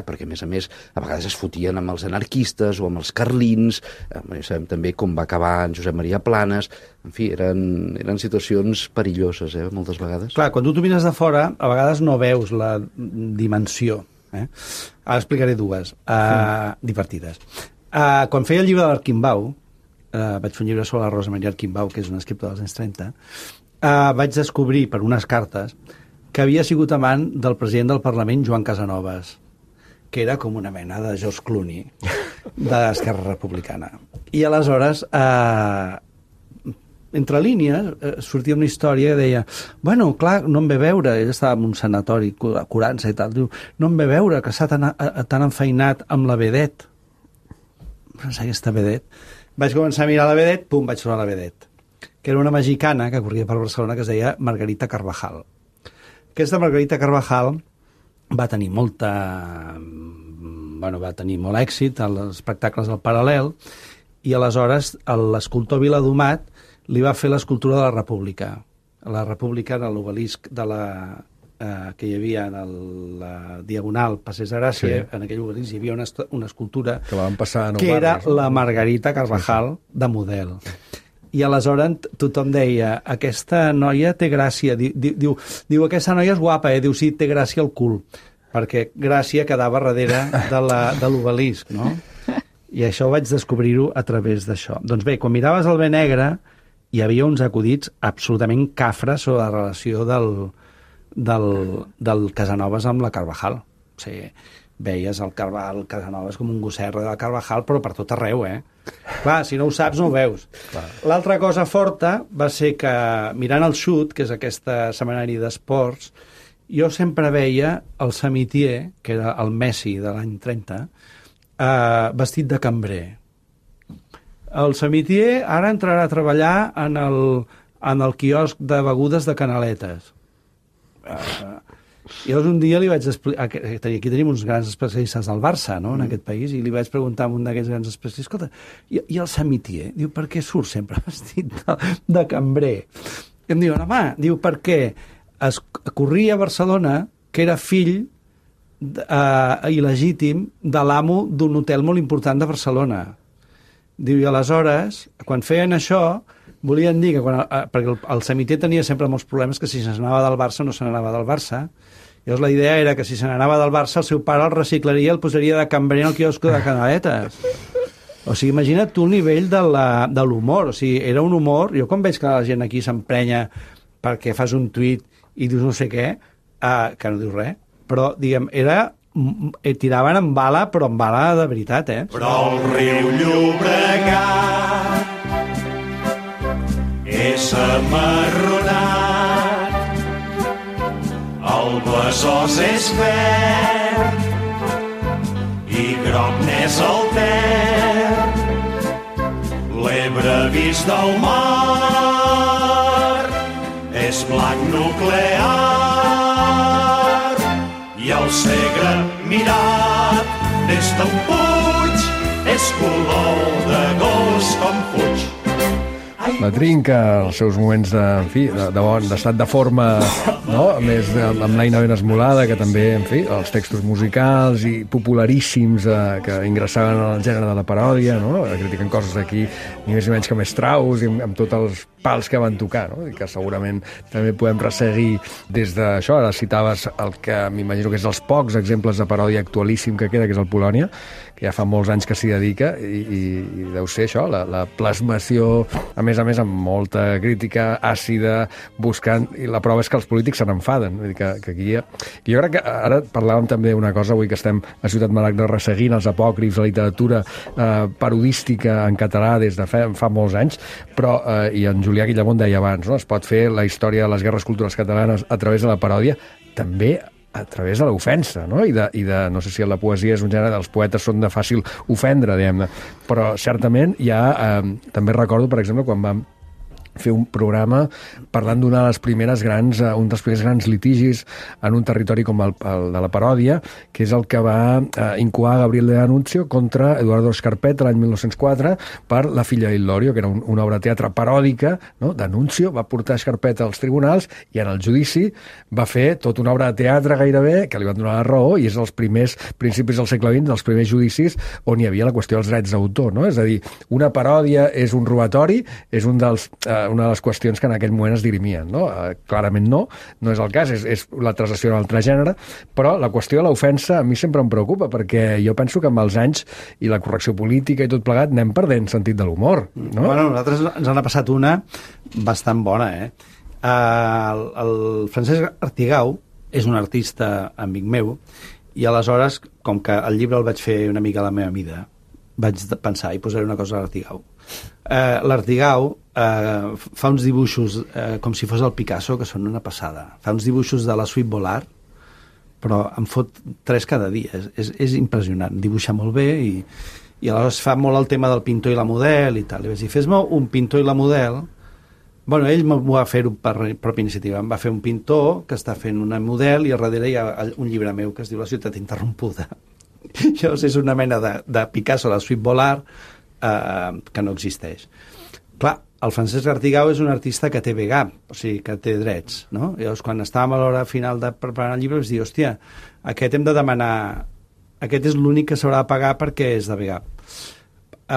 Speaker 5: perquè a més, a vegades es fotien amb els anarquistes o amb els carlins, sabem també com va acabar en Josep Maria Planes, en fi, eren situacions perilloses, moltes vegades.
Speaker 4: Clar, quan tu mires de fora, a vegades no veus la dimensió. Ara explicaré dues, divertides. Quan feia el llibre de l'Arquimbau, vaig fer un llibre sobre la Rosa Maria Arquimbau, que és una escriptora dels anys 30, vaig descobrir per unes cartes que havia sigut amant del president del Parlament, Joan Casanovas, que era com una mena de George Clooney d'Esquerra Republicana. I aleshores, entre línies, sortia una història que deia, bueno, clar, no em ve veure, ell estava en un sanatori curant-se i tal, diu, no em ve veure que s'ha tan enfeinat amb la Vedet. Pensar aquesta Vedet. Vaig començar a mirar la Vedet, pum, vaig trobar la Vedet, que era una mexicana que corria per Barcelona que es deia Margarita Carvajal. Aquesta Margarita Carvajal va tenir molt èxit als espectacles del Paral·lel i aleshores l'escultor Viladomat li va fer l'escultura de la República. La República era l'obelisc que hi havia en la Diagonal Passeig de Gràcia, sí. En aquell obelisc hi havia una escultura que era la Margarita Carvajal de model. I aleshores tothom deia, aquesta noia té gràcia, diu aquesta noia és guapa, diu sí, té gràcia al cul, perquè Gràcia quedava darrere de l'obelisc, no? I això vaig descobrir-ho a través d'això. Doncs bé, quan miraves el Benegre, hi havia uns acudits absolutament cafres sobre la relació del Casanovas amb la Carvajal. O sigui, veies el Casanovas com un gosset de la Carvajal, però per tot arreu, Clar, si no ho saps, no ho veus. L'altra cosa forta va ser que, mirant el Xut, que és aquesta setmanari d'esports, jo sempre veia el Samitier, que era el Messi de l'any 30, vestit de cambrer. El Samitier ara entrarà a treballar en el quiosc de begudes de Canaletes. I llavors un dia li vaig explicar, aquí tenim uns grans especialistes del Barça, no?, en aquest país, i li vaig preguntar a un d'aquests grans especialistes, escolta, i el Samitier? Diu, per què surt sempre vestit de cambrer? I em diuen, home, diu, perquè es corria a Barcelona que era fill il·legítim de l'amo d'un hotel molt important de Barcelona. Diu, i aleshores, quan feien això, volien dir que perquè el Samitier tenia sempre molts problemes, que si se n'anava del Barça no se n'anava del Barça. Llavors la idea era que si se n'anava del Barça el seu pare el reciclaria i el posaria de cambrer al quiosco de Canaletes. O sigui, imagina't tu el nivell de l'humor. O sigui, era un humor... Jo quan veig que la gent aquí s'emprenya perquè fas un tuit i dius no sé què, que no dius res, però, diguem, tiraven amb bala, però amb bala de veritat,
Speaker 7: Però el riu Llobregat és amarronat, el Besòs és verd i groc n'és el Ter, l'Ebre vist del mar és blanc nuclear i el Segre mirat des d'un puig és color de gos com fuig.
Speaker 1: La Trinca, els seus moments d'estat de forma, no? A més, amb l'Aina ben esmolada, que també, en fi, els textos musicals i popularíssims que ingressaven al gènere de la paròdia, no? Critiquen coses aquí, ni més ni menys que Strauss, i amb tots els pals que van tocar, no? I que segurament també podem resseguir des d'això. Ara citaves el que m'imagino que és els pocs exemples de paròdia actualíssim que queda, que és el Polònia, que ja fa molts anys que s'hi dedica, i deu ser això, la plasmació, a més, amb molta crítica àcida, buscant, i la prova és que els polítics se n'enfaden. Vull dir que aquí jo crec que ara parlàvem també una cosa, avui que estem a Ciutat Maragda resseguint els apòcrifs, la literatura parodística en català des de fa molts anys, però, i en Julià Guillamont deia abans, no? Es pot fer la història de les guerres culturals catalanes a través de la paròdia, també a través de l'ofensa, no? I de, no sé si la poesia és un gènere, els poetes són de fàcil ofendre, diguem-ne, però certament també recordo, per exemple, quan vam fer un programa parlant un dels primers grans litigis en un territori com el de la paròdia, que és el que va incoar Gabriel de D'Annunzio contra Eduardo Scarpetta l'any 1904 per La filla d'Illorio, que era una obra de teatre paròdica, no? D'Annunzio va portar Scarpetta als tribunals i en el judici va fer tota una obra de teatre gairebé, que li van donar la raó, i és els primers principis del segle XX, dels primers judicis on hi havia la qüestió dels drets d'autor, no? És a dir, una paròdia és un robatori, és una de les qüestions que en aquell moment es dirimien, no? Clarament no és el cas, és la translació en altre gènere, però la qüestió de l'ofensa a mi sempre em preocupa, perquè jo penso que amb els anys i la correcció política i tot plegat anem perdent sentit de l'humor, no?
Speaker 4: Bueno, nosaltres ens n'ha passat una bastant bona, el Francesc Artigau és un artista amic meu, i aleshores, com que el llibre el vaig fer una mica a la meva mida, vaig pensar, i posaré una cosa a l'Artigau. L'Artigau fa uns dibuixos com si fos el Picasso, que són una passada. Fa uns dibuixos de la suite Volar, però em fot 3 cada dia. És impressionant. Dibuixa molt bé i aleshores fa molt el tema del pintor i la model i tal. I vaig dir, fes-me un pintor i la model. Bueno, ell m'ho va fer per pròpia iniciativa. Em va fer un pintor que està fent una model i al darrere hi ha un llibre meu que es diu La ciutat interrompuda. Llavors és una mena de Picasso, la suite Volar, que no existeix. Clar, el Francesc Artigau és un artista que té VGAP, o sigui, que té drets, no? Llavors, quan estàvem a l'hora final de preparar el llibre, vaig dir, hòstia, aquest hem de demanar... Aquest és l'únic que s'haurà de pagar perquè és de VGAP.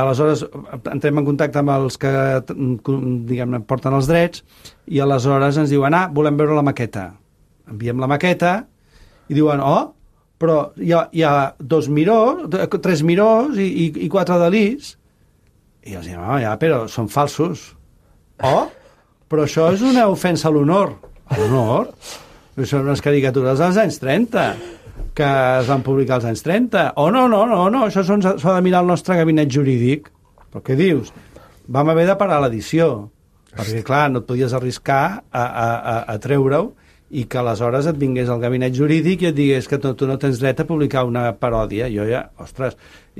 Speaker 4: Aleshores, entrem en contacte amb els que, diguem-ne, porten els drets, i aleshores ens diuen, volem veure la maqueta. Enviem la maqueta, i diuen, però hi ha 2 mirors, 3 mirors i 4 delís. I els diem, ja, però són falsos. Però això és una ofensa a l'honor. A l'honor? Són unes caricatures dels anys 30, que es van publicar als anys 30. No, això s'ha de mirar el nostre gabinet jurídic. Però què dius? Vam haver de parar l'edició, perquè, clar, no et podies arriscar a treure-ho i que aleshores et vingués al gabinet jurídic i et digués que tu no tens dret a publicar una paròdia. Jo ja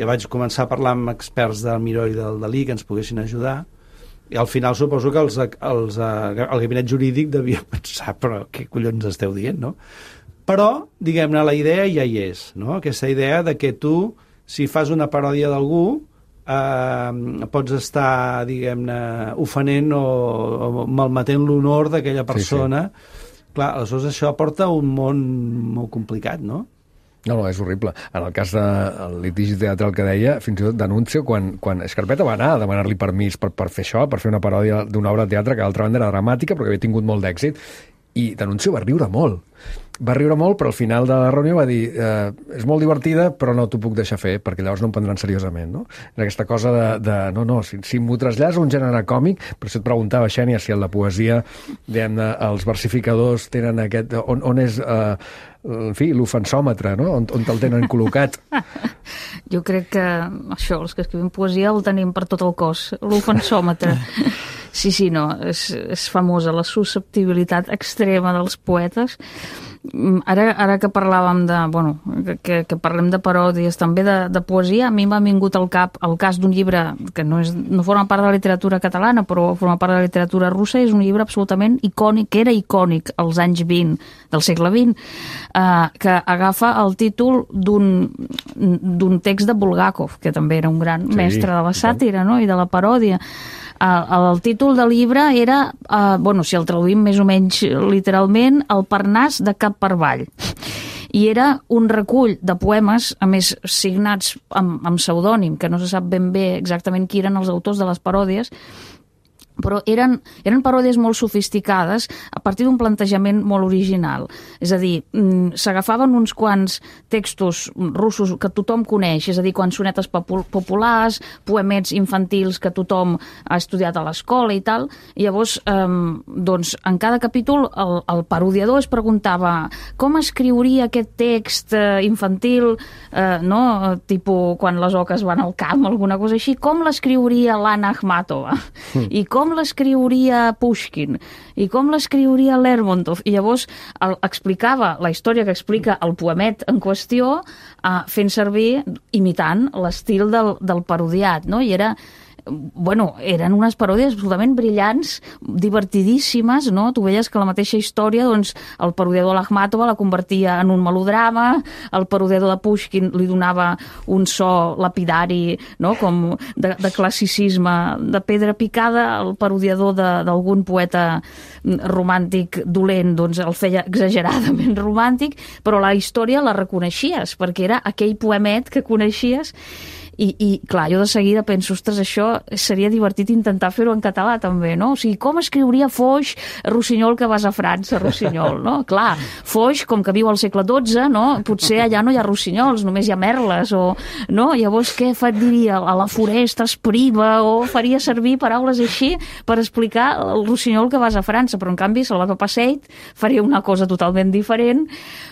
Speaker 4: vaig començar a parlar amb experts del Miró i del Dalí que ens poguessin ajudar, i al final suposo que el gabinet jurídic devia pensar, però què collons esteu dient, no? Però, diguem-ne, la idea ja hi és, no? Aquesta idea de que tu, si fas una paròdia d'algú, pots estar, diguem-ne, ofenent o malmetent l'honor d'aquella persona. Sí. Clar, aleshores això porta un món molt complicat, no?
Speaker 1: No, és horrible. En el cas del litigi teatral que deia, fins i tot D'Annunzio, quan Scarpetta va anar a demanar-li permís per fer això, per fer una paròdia d'una obra de teatre que d'altra banda era dramàtica però que havia tingut molt d'èxit, i D'Annunzio va riure molt. va riure molt, però al final de la reunió va dir és molt divertida, però no t'ho puc deixar fer, perquè llavors no em prendran seriosament, no? Era aquesta cosa si m'ho trasllades a un gènere còmic, per això et preguntava, Xènia, si en la poesia, diguem-ne, els versificadors tenen aquest... On és... en fi, l'ofensòmetre, no? On te'l tenen col·locat.
Speaker 6: Jo crec que això, els que escrivim poesia el tenim per tot el cos, l'ofensòmetre. Sí, no, és famosa la susceptibilitat extrema dels poetes. Ara que parlàvem que parlem de paròdies, també de poesia, a mi m'ha vingut al cap el cas d'un llibre que no forma part de la literatura catalana, però forma part de la literatura russa, és un llibre absolutament icònic, que era icònic als anys 20 del segle XX, que agafa el títol d'un text de Bulgakov, que també era un gran mestre de la sàtira, no?, i de la paròdia. El títol del llibre era, si el traduïm més o menys literalment, El Parnàs de Cap per Avall. I era un recull de poemes, a més signats amb pseudònim, que no se sap ben bé exactament qui eren els autors de les paròdies, però eren paròdies molt sofisticades a partir d'un plantejament molt original. És a dir, s'agafaven uns quants textos russos que tothom coneix, és a dir, cançonetes populars, poemets infantils que tothom ha estudiat a l'escola i tal, i llavors, en cada capítol el parodiador es preguntava com escriuria aquest text infantil, tipus quan les oques van al camp, alguna cosa així, com l'escriuria l'Anna Akhmatova, i com l'escriuria Pushkin, i com l'escriuria Lermontov, i llavors explicava la història que explica el poemet en qüestió, fent servir, imitant l'estil del parodiat, no? I eren unes paròdies absolutament brillants, divertidíssimes, no? Tu veies que la mateixa història, doncs, el parodiador l'Akhmatova la convertia en un melodrama, el parodiador de Pushkin li donava un so lapidari, no?, com de classicisme de pedra picada, el parodiador d'algun poeta romàntic dolent, doncs el feia exageradament romàntic, però la història la reconeixies, perquè era aquell poemet que coneixies. I clar, jo de seguida penso, ostres, això seria divertit intentar fer-ho en català també, no? O sigui, com escriuria Foix, Rossinyol, que vas a França, Rossinyol, no? Clar, Foix, com que viu al segle XII, no? Potser allà no hi ha rossinyols, només hi ha merles, no? Llavors, què diria? A la foresta es priva, o faria servir paraules així per explicar el rossinyol que vas a França, però en canvi Salvador Passeit faria una cosa totalment diferent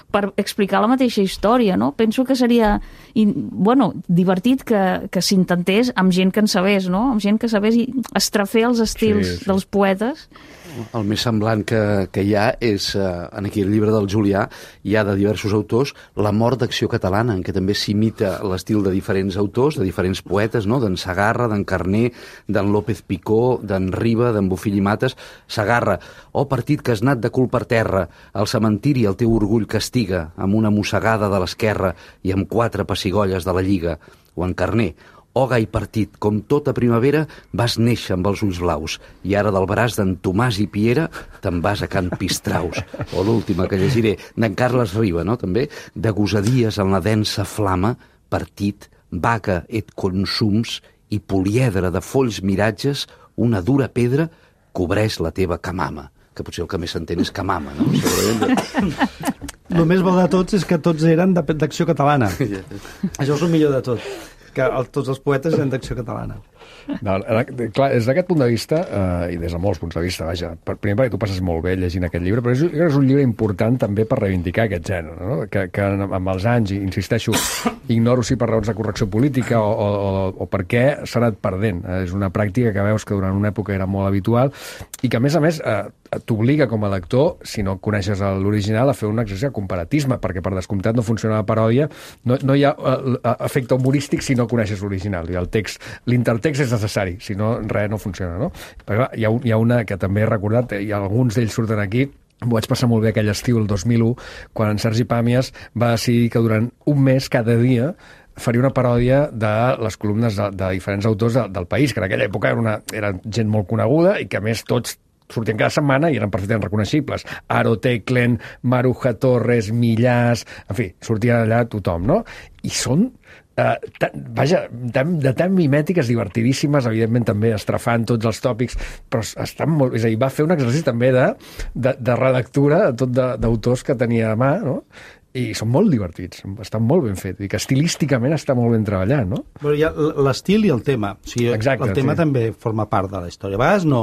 Speaker 6: per explicar la mateixa història, no? Penso que seria, divertit que s'intentés amb gent que en sabés, no? Amb gent que sabés estrafer els estils dels poetes.
Speaker 5: El més semblant que hi ha és, en aquí el llibre del Julià, hi ha de diversos autors, La mort d'acció catalana, en què també s'imita l'estil de diferents autors, de diferents poetes, no?, d'en Segarra, d'en Carner, d'en López Picó, d'en Riba, d'en Bofill i Mates. Segarra: partit que has anat de cul per terra, al cementiri el teu orgull castiga, amb una mossegada de l'esquerra i amb 4 pessigolles de la Lliga. O en Carner: gai partit, com tota primavera vas néixer amb els ulls blaus i ara del braç d'en Tomàs i Piera te'n vas a Can Pistraus. O l'última que llegiré, d'en Carles Riba, no?, també: de gosadies en la densa flama, partit, vaca et consums i poliedre de folls miratges, una dura pedra cobreix la teva camama. Que potser el que més s'entén és camama, no?
Speaker 4: El més bo de tots és que tots eren d'acció catalana. Això és el millor de tot, que tots els poetes eren d'acció catalana.
Speaker 1: No, clar, des d'aquest punt de vista, i des de molts punts de vista, vaja, primer perquè tu passes molt bé llegint aquest llibre, però és un llibre important també per reivindicar aquest gènere, no? Que amb els anys, insisteixo, ignoro si per raons de correcció política o per què s'ha anat perdent. És una pràctica que veus que durant una època era molt habitual i que, a més, t'obliga com a lector, si no coneixes l'original, a fer un exercici de comparatisme, perquè per descomptat no funciona la paròdia, no hi ha efecte humorístic si no coneixes l'original, i l'intertext és necessari, si no, res no funciona, no? Però hi ha una que també he recordat, i alguns d'ells surten aquí. M'ho vaig passar molt bé aquell estiu, el 2001, quan en Sergi Pàmies va decidir que durant un mes, cada dia, faria una paròdia de les columnes de diferents autors del país, que en aquella època era gent molt coneguda i que, a més, tots sortien cada setmana i eren perfectament reconeixibles. Aro Teclen, Maruja Torres, Millàs... En fi, sortia allà tothom, no? I són de tan mimètiques, divertidíssimes, evidentment també estrafant tots els tòpics, però estan molt... És a dir, va fer un exercici també de relectura tot d'autors que tenia a mà, no? I són molt divertits, estan molt ben fets, i que estilísticament està molt ben treballat, no?
Speaker 4: Però hi ha l'estil i el tema. O sigui, exacte, el tema també forma part de la història. A vegades no.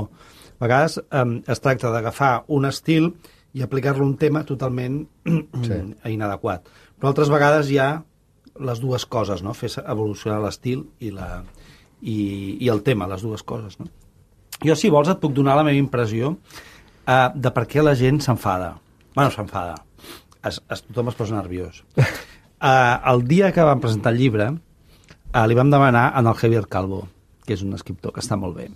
Speaker 4: A vegades es tracta d'agafar un estil i aplicar-lo a un tema totalment inadequat. Però altres vegades hi ha les dues coses, no? Fer evolucionar l'estil i el tema, les dues coses, no? Jo, si vols, et puc donar la meva impressió de per què la gent s'enfada. Bueno, s'enfada. Tothom es posa nerviós. El dia que vam presentar el llibre, li vam demanar al Javier Calvo, que és un escriptor que està molt bé.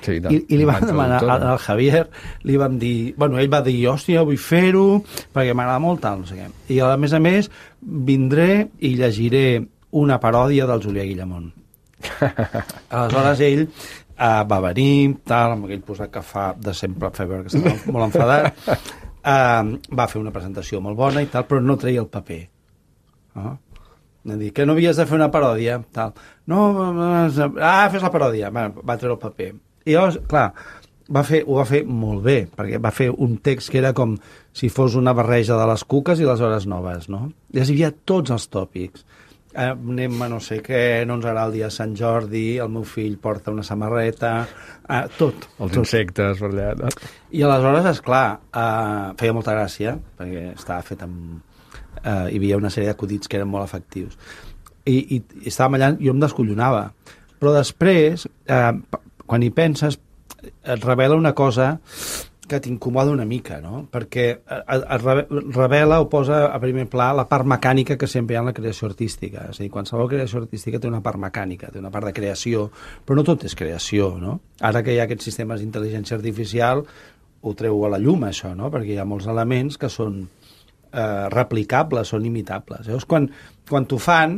Speaker 4: Sí, I li vam demanar al Javier, li vam dir... Bueno, ell va dir, hòstia, vull fer-ho, perquè m'agrada molt, tal, no sé què. I, a més, vindré i llegiré una paròdia del Julià Guillamón. Aleshores, ell va venir, tal, amb aquell posat que fa de sempre, que estava molt enfadat, va fer una presentació molt bona i tal, però no treia el paper. Dir, que no havies de fer una paròdia, tal. No, fes la paròdia. Va treure el paper. I llavors, clar, ho va fer molt bé, perquè va fer un text que era com si fos una barreja de les cuques i les hores noves, no? I hi havia tots els tòpics. Anem a no sé què, no ens agrada el dia de Sant Jordi, el meu fill porta una samarreta, tot.
Speaker 1: Els insectes, per allà. No?
Speaker 4: I aleshores, esclar, feia molta gràcia, perquè estava fet amb... hi havia una sèrie d'acudits que eren molt efectius. I estàvem allà, jo em descollonava. Però després, quan hi penses, et revela una cosa que t'incomoda una mica, no? Perquè es revela o posa a primer pla la part mecànica que sempre hi ha en la creació artística. És a dir, qualsevol creació artística té una part mecànica, té una part de creació, però no tot és creació, no? Ara que hi ha aquests sistemes d'intel·ligència artificial, ho treu a la llum, això, no? Perquè hi ha molts elements que són replicables, són imitables. Llavors, quan t'ho fan,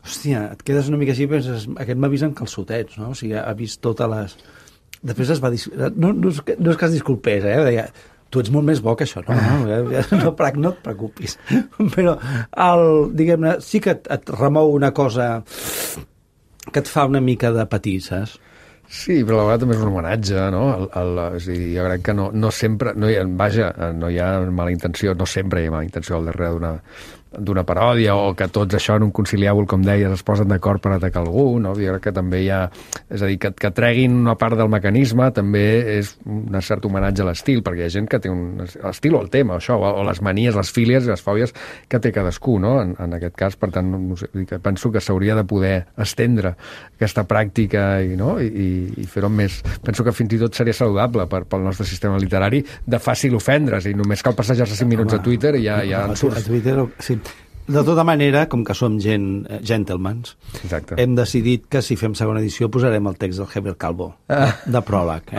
Speaker 4: hòstia, et quedes una mica així i penses, aquest m'ha vist en calçotets, no? O sigui, ha vist totes les... Després es va... No és que es disculpés, deia, tu ets molt més bo que això, no et preocupis. Però, diguem-ne, sí que et remou una cosa que et fa una mica de patir, saps?
Speaker 1: Sí, però a la vegada també és un homenatge, no? És a dir, jo crec que no sempre... No hi ha mala intenció, no sempre hi ha mala intenció al darrere d'una paròdia, o que tots això en un conciliàbul, com deies, es posen d'acord per atacar algú, no? Jo crec que també hi ha... És a dir, que treguin una part del mecanisme també és un cert homenatge a l'estil, perquè hi ha gent que té un estil o el tema, això, o les manies, les fílies i les fòbies que té cadascú, no? En aquest cas, per tant, no sé, penso que s'hauria de poder estendre aquesta pràctica i fer-ho més... Penso que fins i tot seria saludable pel nostre sistema literari de fàcil ofendre's, i només cal passejar-se 5 minuts a Twitter i ja en surts.
Speaker 4: A Twitter, sí. De tota manera, com que som gentlemans, exacte, hem decidit que si fem segona edició posarem el text del Javier Calvo, de pròleg,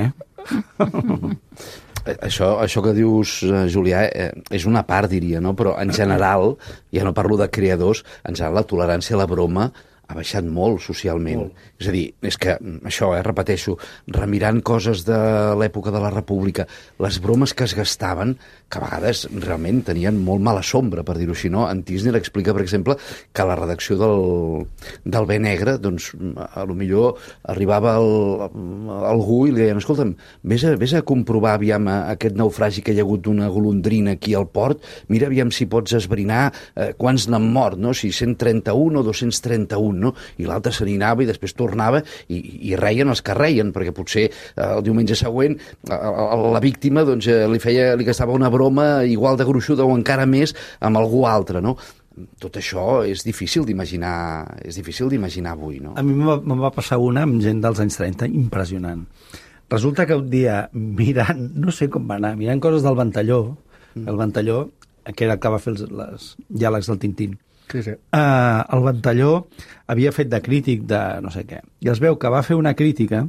Speaker 5: Això que dius, Julià, és una part, diria, no? Però en general, ja no parlo de creadors, en general la tolerància a la broma ha baixat molt socialment. És a dir, és que això, repeteixo, remirant coses de l'època de la República, les bromes que es gastaven, que a vegades realment tenien molt mala sombra, per dir-ho així, no? En Tisner explica, per exemple, que a la redacció del Bé Negre, doncs, a lo millor arribava algú i li deien, escolta'm, vés a comprovar aviam aquest naufragi que hi ha hagut d'una golondrina aquí al port, mira aviam si pots esbrinar quants n'han mort, no? Si 131 o 231, no? I l'altre se n'anava i després tornava i reien els que reien, perquè potser el diumenge següent la víctima doncs, li gastava una broma igual de gruixuda o encara més amb algú altre, no? Tot això és difícil d'imaginar avui, no?
Speaker 4: A mi me'n va passar una amb gent dels anys 30 impressionant. Resulta que un dia mirant, no sé com va anar, mirant coses del Ventalló, el Ventalló, que era el que va fer els diàlegs del Tintín,
Speaker 1: sí.
Speaker 4: El Ventalló havia fet de crític de no sé què, i es veu que va fer una crítica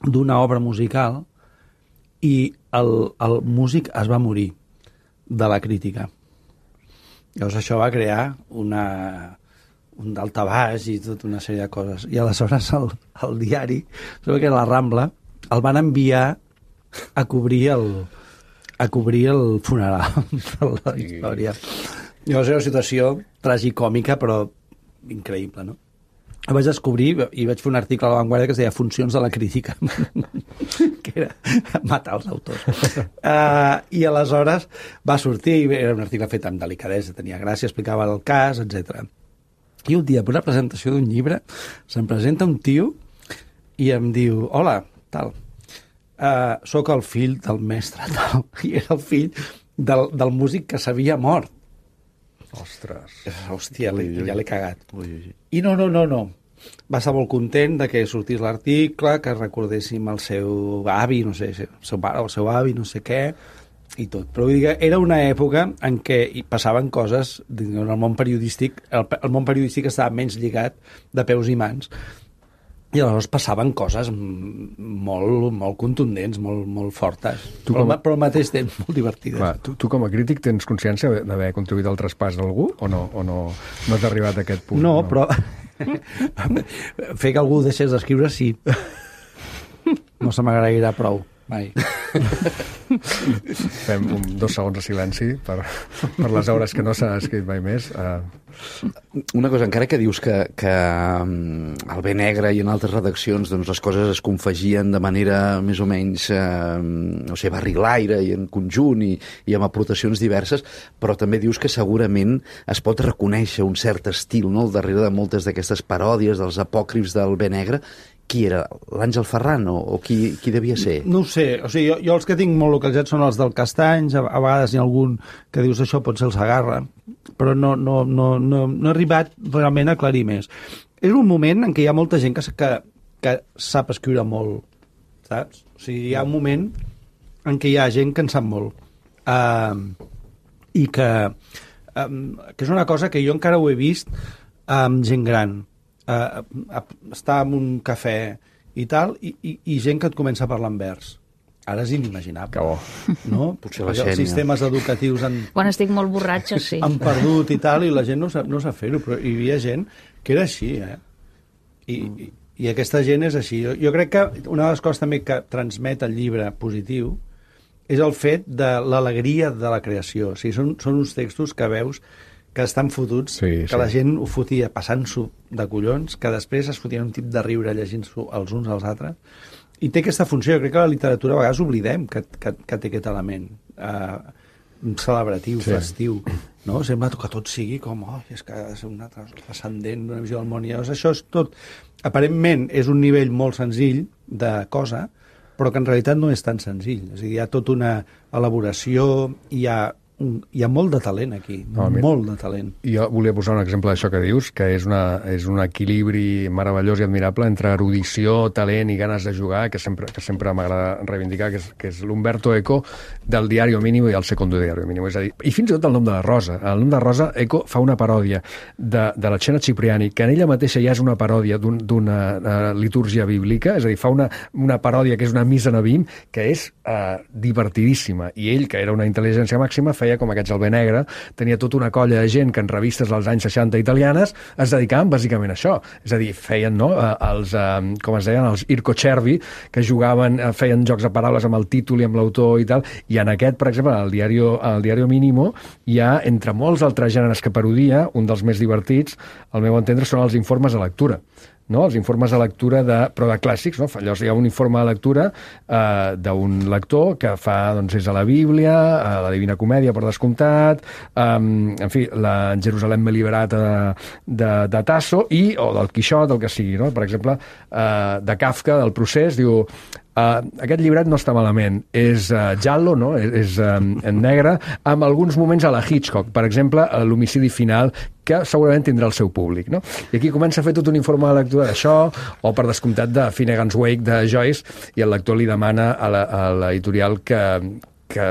Speaker 4: d'una obra musical i el músic es va morir de la crítica. Llavors això va crear un daltabaix i tota una sèrie de coses. I aleshores el diari, que era la Rambla, el van enviar a cobrir el funeral de la història. Llavors era una situació tragicòmica, però increïble, no? Ho vaig descobrir i vaig fer un article a La Vanguardia que es deia Funcions de la crítica, que era matar els autors. I aleshores va sortir, era un article fet amb delicadesa, tenia gràcia, explicava el cas, etc. I un dia, per una presentació d'un llibre, se'm presenta un tio i em diu, hola, tal, sóc el fill del mestre, tal, i era el fill del músic que s'havia mort.
Speaker 1: Ostres.
Speaker 4: Hòstia, ja l'he cagat. I no. Va estar molt content de que sortís l'article, que recordéssim el seu avi, no sé, el seu pare o el seu avi, no sé què, i tot. Però vull dir que era una època en què hi passaven coses en el món periodístic. El món periodístic estava menys lligat de peus i mans, i aleshores passaven coses molt contundents, molt fortes, però al mateix temps molt divertides.
Speaker 1: Clar, tu com a crític tens consciència d'haver contribuït al traspàs d'algú o no has arribat a aquest punt?
Speaker 4: No, però fer que algú deixés d'escriure, sí. No se m'agrairà prou, mai.
Speaker 1: Fem 2 segons de silenci per les hores que no s'ha escrit mai més.
Speaker 5: Una cosa, encara que dius que al Bé Negre i en altres redaccions doncs, les coses es confegien de manera més o menys no sé, barrilaire i en conjunt i amb aportacions diverses, però també dius que segurament es pot reconèixer un cert estil, no?, al darrere de moltes d'aquestes paròdies dels apòcrifs del Bé Negre. Qui era? L'Àngel Ferran o qui devia ser?
Speaker 4: No ho sé. O sigui, jo els que tinc molt localitzats són els del Castanys, a vegades hi ha algun que dius això pot ser el Sagarra, però no he arribat realment a aclarir més. És un moment en què hi ha molta gent que sap escriure molt, saps? O sigui, hi ha un moment en què hi ha gent que en sap molt. I que és una cosa que jo encara ho he vist amb gent gran. Estar en un cafè i tal, i gent que et comença a parlar en vers. Ara és inimaginable.
Speaker 1: Que bo.
Speaker 4: No?
Speaker 5: Potser la
Speaker 4: els sistemes educatius
Speaker 6: Quan estic molt borratxa, sí.
Speaker 4: han perdut i tal, i la gent no sap fer-ho, però hi havia gent que era així, I aquesta gent és així. Jo crec que una de les coses també que transmet el llibre positiu és el fet de l'alegria de la creació. O sigui, són uns textos que veus que estan fotuts, que la gent ho fotia passant-s'ho de collons, que després es fotien un tip de riure llegint-s'ho els uns als altres, i té aquesta funció. Jo crec que la literatura a vegades oblidem que té aquest element celebratiu, festiu, no? Sembla que tot sigui com, és que ha de ser una transcendent, una visió del món, i llavors això és tot, aparentment és un nivell molt senzill de cosa, però que en realitat no és tan senzill. És a dir, hi ha tota una elaboració, hi ha molt de talent aquí, molt de talent.
Speaker 1: Jo volia posar un exemple d'això que dius, que és un equilibri meravellós i admirable entre erudició, talent i ganes de jugar, que sempre m'agrada reivindicar, que és l'Umberto Eco del Diario Mínimo i el Secondo Diario Mínimo. És a dir, i fins i tot el nom de la Rosa. El nom de Rosa, Eco fa una paròdia de la Xena Cipriani, que en ella mateixa ja és una paròdia d'una litúrgia bíblica, és a dir, fa una paròdia que és una missa Nabim, que és divertidíssima. I ell, que era una intel·ligència màxima, feia com aquests al Bé Negre, tenia tota una colla de gent que en revistes dels anys 60 italianes es dedicaven bàsicament a això. És a dir, feien, no?, com es deien, els Ircocervi, que jugaven, feien jocs de paraules amb el títol i amb l'autor i tal, i en aquest, per exemple, al Diario Mínimo, hi ha, entre molts altres gèneres que parodia, un dels més divertits, al meu entendre, són els informes de lectura. No? Els informes de lectura però de clàssics, no? Llavors hi ha un informe de lectura d'un lector que fa, doncs, és a la Bíblia, a la Divina Comèdia, per descomptat, en fi, la Jerusalem Liberata de Tasso, o del Quixot, el que sigui, no? Per exemple, de Kafka, del Procés, diu: aquest llibret no està malament, és giallo, no? És en negre, amb alguns moments a la Hitchcock, per exemple, l'homicidi final, que segurament tindrà el seu públic, no? I aquí comença a fer tot un informe de lectura d'això, o per descomptat de Finnegan's Wake de Joyce, i el lector li demana a l'editorial que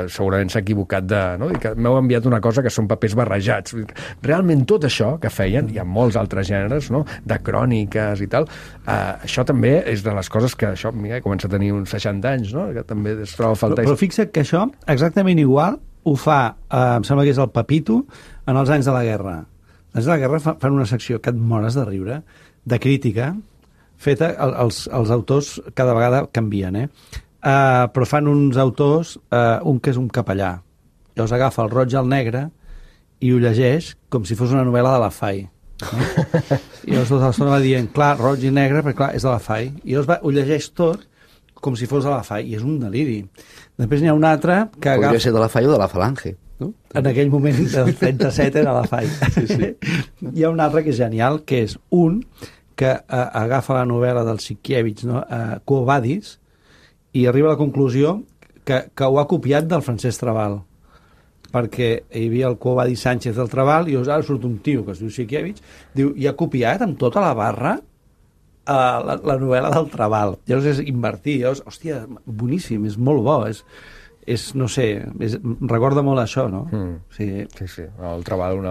Speaker 1: segurament s'ha equivocat no? I que m'heu enviat una cosa que són papers barrejats. Realment tot això que feien, hi ha molts altres gèneres, no?, de cròniques i tal, això també és de les coses que això, mira, comença a tenir uns 60 anys, no?, que també es troba a faltar.
Speaker 4: Però fixa't que això, exactament igual, ho fa, em sembla que és el Pepito, en els anys de la guerra. Els anys de la guerra fan una secció que et mores de riure, de crítica, feta, els autors cada vegada canvien, però fan uns autors, un que és un capellà, llavors agafa el roig i el negre i ho llegeix com si fos una novel·la de la Fai. I llavors tota l'estona va dient, clar, roig i negre, perquè clar, és de la FAI. I llavors ho llegeix tot com si fos de la FAI, i és un deliri. Després n'hi ha un altre que
Speaker 5: Podria ser de la FAI o de la Falange, no?
Speaker 4: En aquell moment del 37 era la FAI. Sí. Hi ha un altre que és genial, que és un que agafa la novel·la del Sienkiewicz, no? Quo Vadis, i arriba a la conclusió que ho ha copiat del Francesc Trabal, perquè hi havia el Quo Vadis Sánchez del Trabal, i ara surt un tio que es diu Sienkiewicz, diu, i ha copiat amb tota la barra la novel·la del Trabal. Llavors és invertir, llavors, hòstia, boníssim, és molt bo, és no sé, recorda molt això, no?
Speaker 1: Sí. El Trabal, una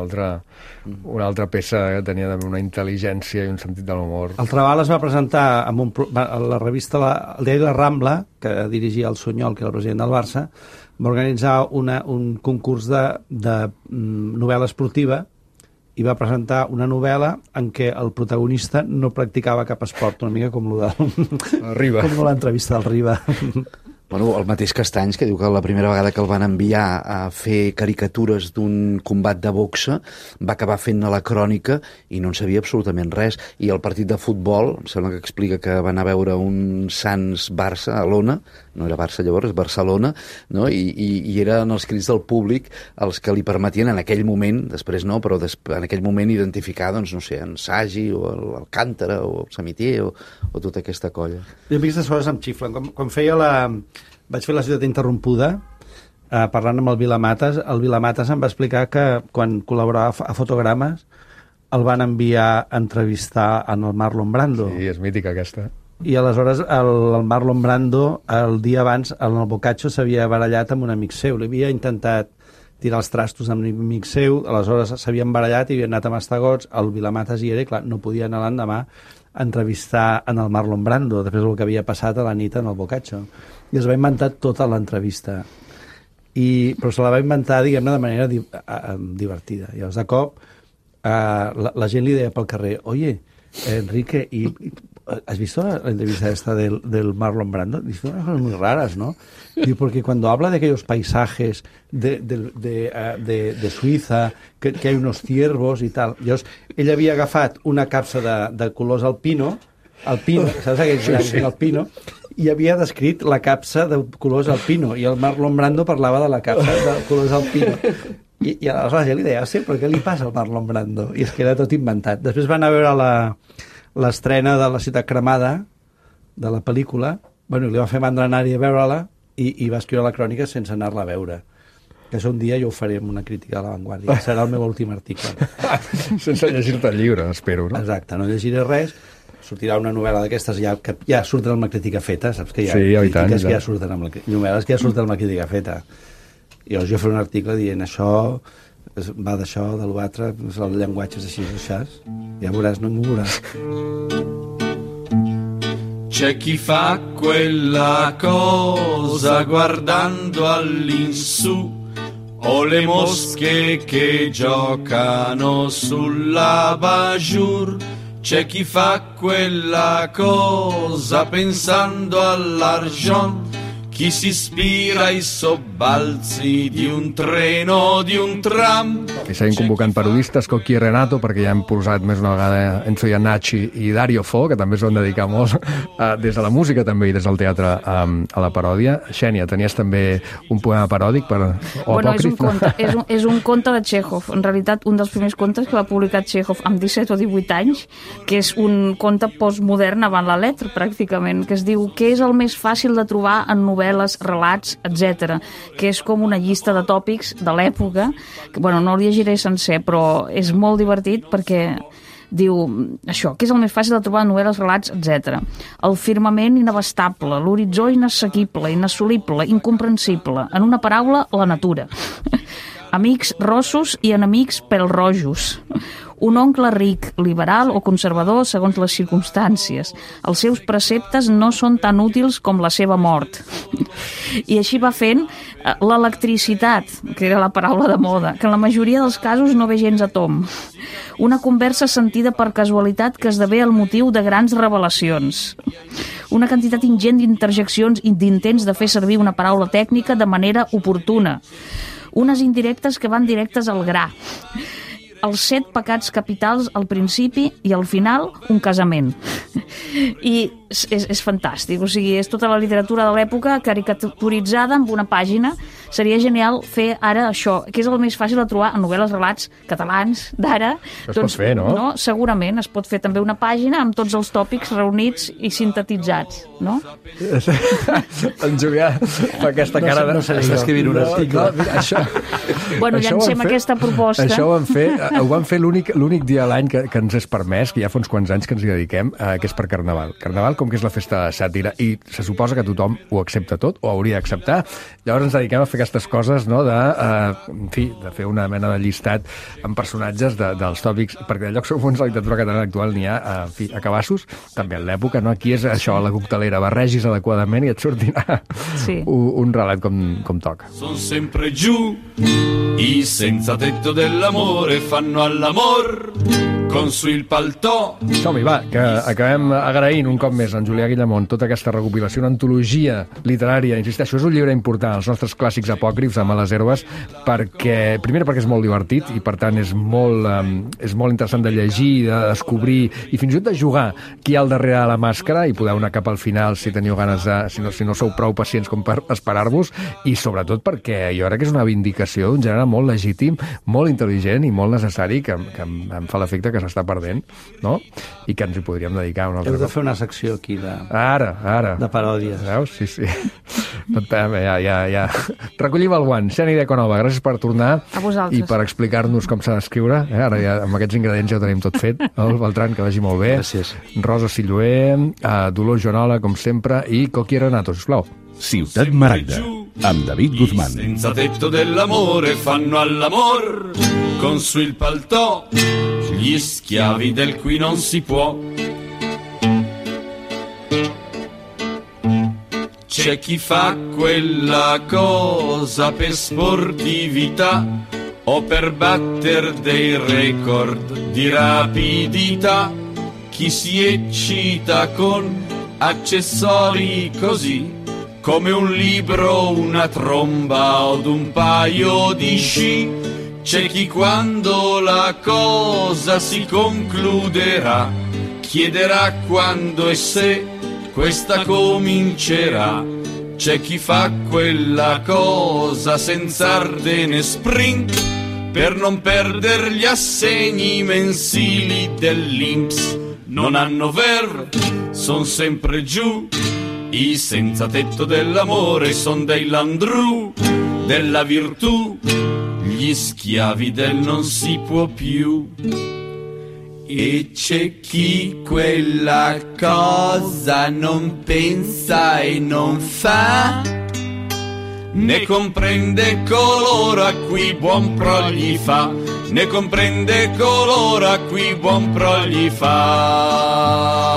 Speaker 1: altra peça que tenia una intel·ligència i un sentit de l'humor.
Speaker 4: El Trabal es va presentar a la revista, el diari La Rambla, que dirigia el Sunyol, que era el president del Barça, va organitzar un concurs de novel·la esportiva i va presentar una novel·la en què el protagonista no practicava cap esport, una mica com
Speaker 1: Riba.
Speaker 4: Com l'entrevista del Riba.
Speaker 5: Bueno, el mateix Castanys, que diu que la primera vegada que el van enviar a fer caricatures d'un combat de boxa va acabar fent-ne la crònica i no en sabia absolutament res. I el partit de futbol, em sembla que explica que van a veure un Sants-Barça a l'Ona, no era Barça llavors, Barcelona, no? I eren els crits del públic els que li permetien en aquell moment, després no, però en aquell moment identificar, doncs, no sé, en Sagi o l'Alcántara o el Samitier o tota aquesta colla.
Speaker 4: Jo aquestes coses em xiflen. Quan feia vaig fer La ciutat interrompuda, parlant amb el Vilamatas. El Vilamatas em va explicar que quan col·laborava a Fotogrames el van enviar a entrevistar en el Marlon Brando.
Speaker 1: Sí, és mítica aquesta.
Speaker 4: I aleshores el Marlon Brando el dia abans en el Boccaccio s'havia barallat amb un amic seu. Li havia intentat tirar els trastos amb un amic seu, aleshores s'havien barallat i havien anat a mastegots, el Vilamatas hi era, clar, no podia anar l'endemà a entrevistar en el Marlon Brando després del que havia passat a la nit en el Boccaccio. I es va inventar tota l'entrevista. Però se la va inventar, diguem-ne, de manera divertida. I llavors, de cop, la gent li deia pel carrer, oye, Enrique, ¿has visto la entrevista esta del Marlon Brando? Dice unas cosas muy raras, ¿no? Digo, porque cuando habla de aquellos paisajes de Suiza, que hay unos ciervos y tal. Llavors, ell havia agafat una capsa de colors alpino, saps aquell alpino? I havia descrit la capsa de colors alpino, i el Marlon Brando parlava de la capsa de colors alpino. I aleshores la gent li deia, però què li passa al Marlon Brando? I és que era tot inventat. Després van a veure l'estrena de La ciutat cremada, de la pel·lícula, bueno, li va fer mandra anar-hi a veure-la i va escriure la crònica sense anar-la a veure. Que un dia jo ho faré amb una crítica a La Vanguardia. Serà el meu últim article.
Speaker 1: Sense llegir-te el llibre, espero, no?
Speaker 4: Exacte, no llegiré res. Sortirà una novel·la d'aquestes que ja surten amb la crítica feta, saps que hi ha crítiques que ja surten amb novel·les que ja surten amb la crítica feta. I llavors jo faré un article dient això va d'això, de l'altre, el llenguatge és així, ja veuràs, no m'ho veuràs.
Speaker 8: C'è chi fa quella cosa guardando all'insù, o le mosche che giocano sulla bajur. C'è chi fa quella cosa pensando all'argent, chi si ispira ai sobbalzi di un treno, di un tram.
Speaker 1: I seguim convocant parodistes, Coqui i Renato, perquè ja hem posat més una vegada Enzo Iannacci i Dario Fo, que també s'ho han dedicat molt des de la música també i des del teatre a la paròdia. Xènia, tenies també un poema paròdic
Speaker 6: és un conte de Chekhov. En realitat, un dels primers contes que va publicar Chekhov amb 17 o 18 anys, que és un conte postmodern avant la letra, pràcticament, que es diu què és el més fàcil de trobar en novel·les, relats, etc., que és com una llista de tòpics de l'època, que, bueno, no el llegiré sencer, però és molt divertit perquè diu això, que és el més fàcil de trobar en novel·les, relats, etc. El firmament inabastable, l'horitzó inassequible, inassolible, incomprensible, en una paraula, la natura. Amics rossos i enemics pèl-rojos. Un oncle ric, liberal o conservador segons les circumstàncies. Els seus preceptes no són tan útils com la seva mort. I així va fent l'electricitat, que era la paraula de moda, que en la majoria dels casos no ve gens a tom. Una conversa sentida per casualitat que esdevé el motiu de grans revelacions. Una quantitat ingent d'interjeccions i d'intents de fer servir una paraula tècnica de manera oportuna. Unes indirectes que van directes al gra. els 7 pecats capitals al principi i al final un casament. I és fantàstic, o sigui, és tota la literatura de l'època caricaturitzada en una pàgina. Seria genial fer ara això, que és el més fàcil de trobar en novel·les, relats catalans d'ara.
Speaker 1: Es pot fer, no?
Speaker 6: Segurament, es pot fer també una pàgina amb tots els tòpics reunits i sintetitzats, no?
Speaker 1: En Julià fa aquesta cara de...
Speaker 4: No sé, està escrivint un article.
Speaker 1: Això...
Speaker 6: Bueno, llancem aquesta proposta.
Speaker 1: Això ho van fer l'únic dia a l'any que ens és permès, que ja fa uns quants anys que ens hi dediquem, que és per Carnaval. Carnaval, com que és la festa de sàtira, i se suposa que tothom ho accepta tot, o hauria d'acceptar, llavors ens dediquem a fer aquestes coses, no?, de fer una mena de llistat amb personatges dels tòpics, perquè de llocs comuns a la literatura catalana actual n'hi ha, a cabassos, també en l'època, no? Aquí és això, la coctelera, barregis adequadament i et sortirà un relat com toca.
Speaker 8: Son sempre giù, i senza tetto dell'amore fanno all'amor con su il paltò.
Speaker 1: Som-hi, va, que acabem agraint un cop més en Julià Guillamont tota aquesta recopilació, una antologia literària, insisteixo, és un llibre important, els nostres clàssics apòcrifs a Males Herbes, primer perquè és molt divertit i per tant és molt interessant de llegir, de descobrir i fins i tot de jugar qui hi ha al darrere de la màscara i podeu anar cap al final si teniu ganes de, si no sou prou pacients com per esperar-vos, i sobretot perquè jo crec que és una vindicació d'un gènere molt legítim, molt intel·ligent i molt necessari, que em fa l'efecte que s'està perdent, no? I que ens hi podríem dedicar un altre cop.
Speaker 4: Heu de fer una secció aquí de paròdies.
Speaker 1: Veus? Sí. Ja. Recollim el guant. Xeni Deconova, gràcies per tornar i per explicar-nos com s'ha d'escriure. Ara ja amb aquests ingredients ja ho tenim tot fet. El Beltran, que vagi molt bé.
Speaker 5: Gràcies.
Speaker 1: Rosa Silloé, Dolors Joanola, com sempre, i Coqui Renato, sisplau.
Speaker 2: Ciutat Maragda, amb David Guzmán.
Speaker 8: Senza tetto dell'amore fanno all'amor con su il paltò, gli schiavi del qui non si può. C'è chi fa quella cosa per sportività o per batter dei record di rapidità, chi si eccita con accessori così come un libro, una tromba od un paio di sci. C'è chi quando la cosa si concluderà chiederà quando e se questa comincerà. C'è chi fa quella cosa senza ardene sprint per non perdere gli assegni mensili dell'INPS. Non hanno verve, son sempre giù. I senza tetto dell'amore son dei landru della virtù, gli schiavi del non si può più. E c'è chi quella cosa non pensa e non fa, ne comprende coloro a cui buon pro gli fa, ne comprende coloro a cui buon pro gli fa.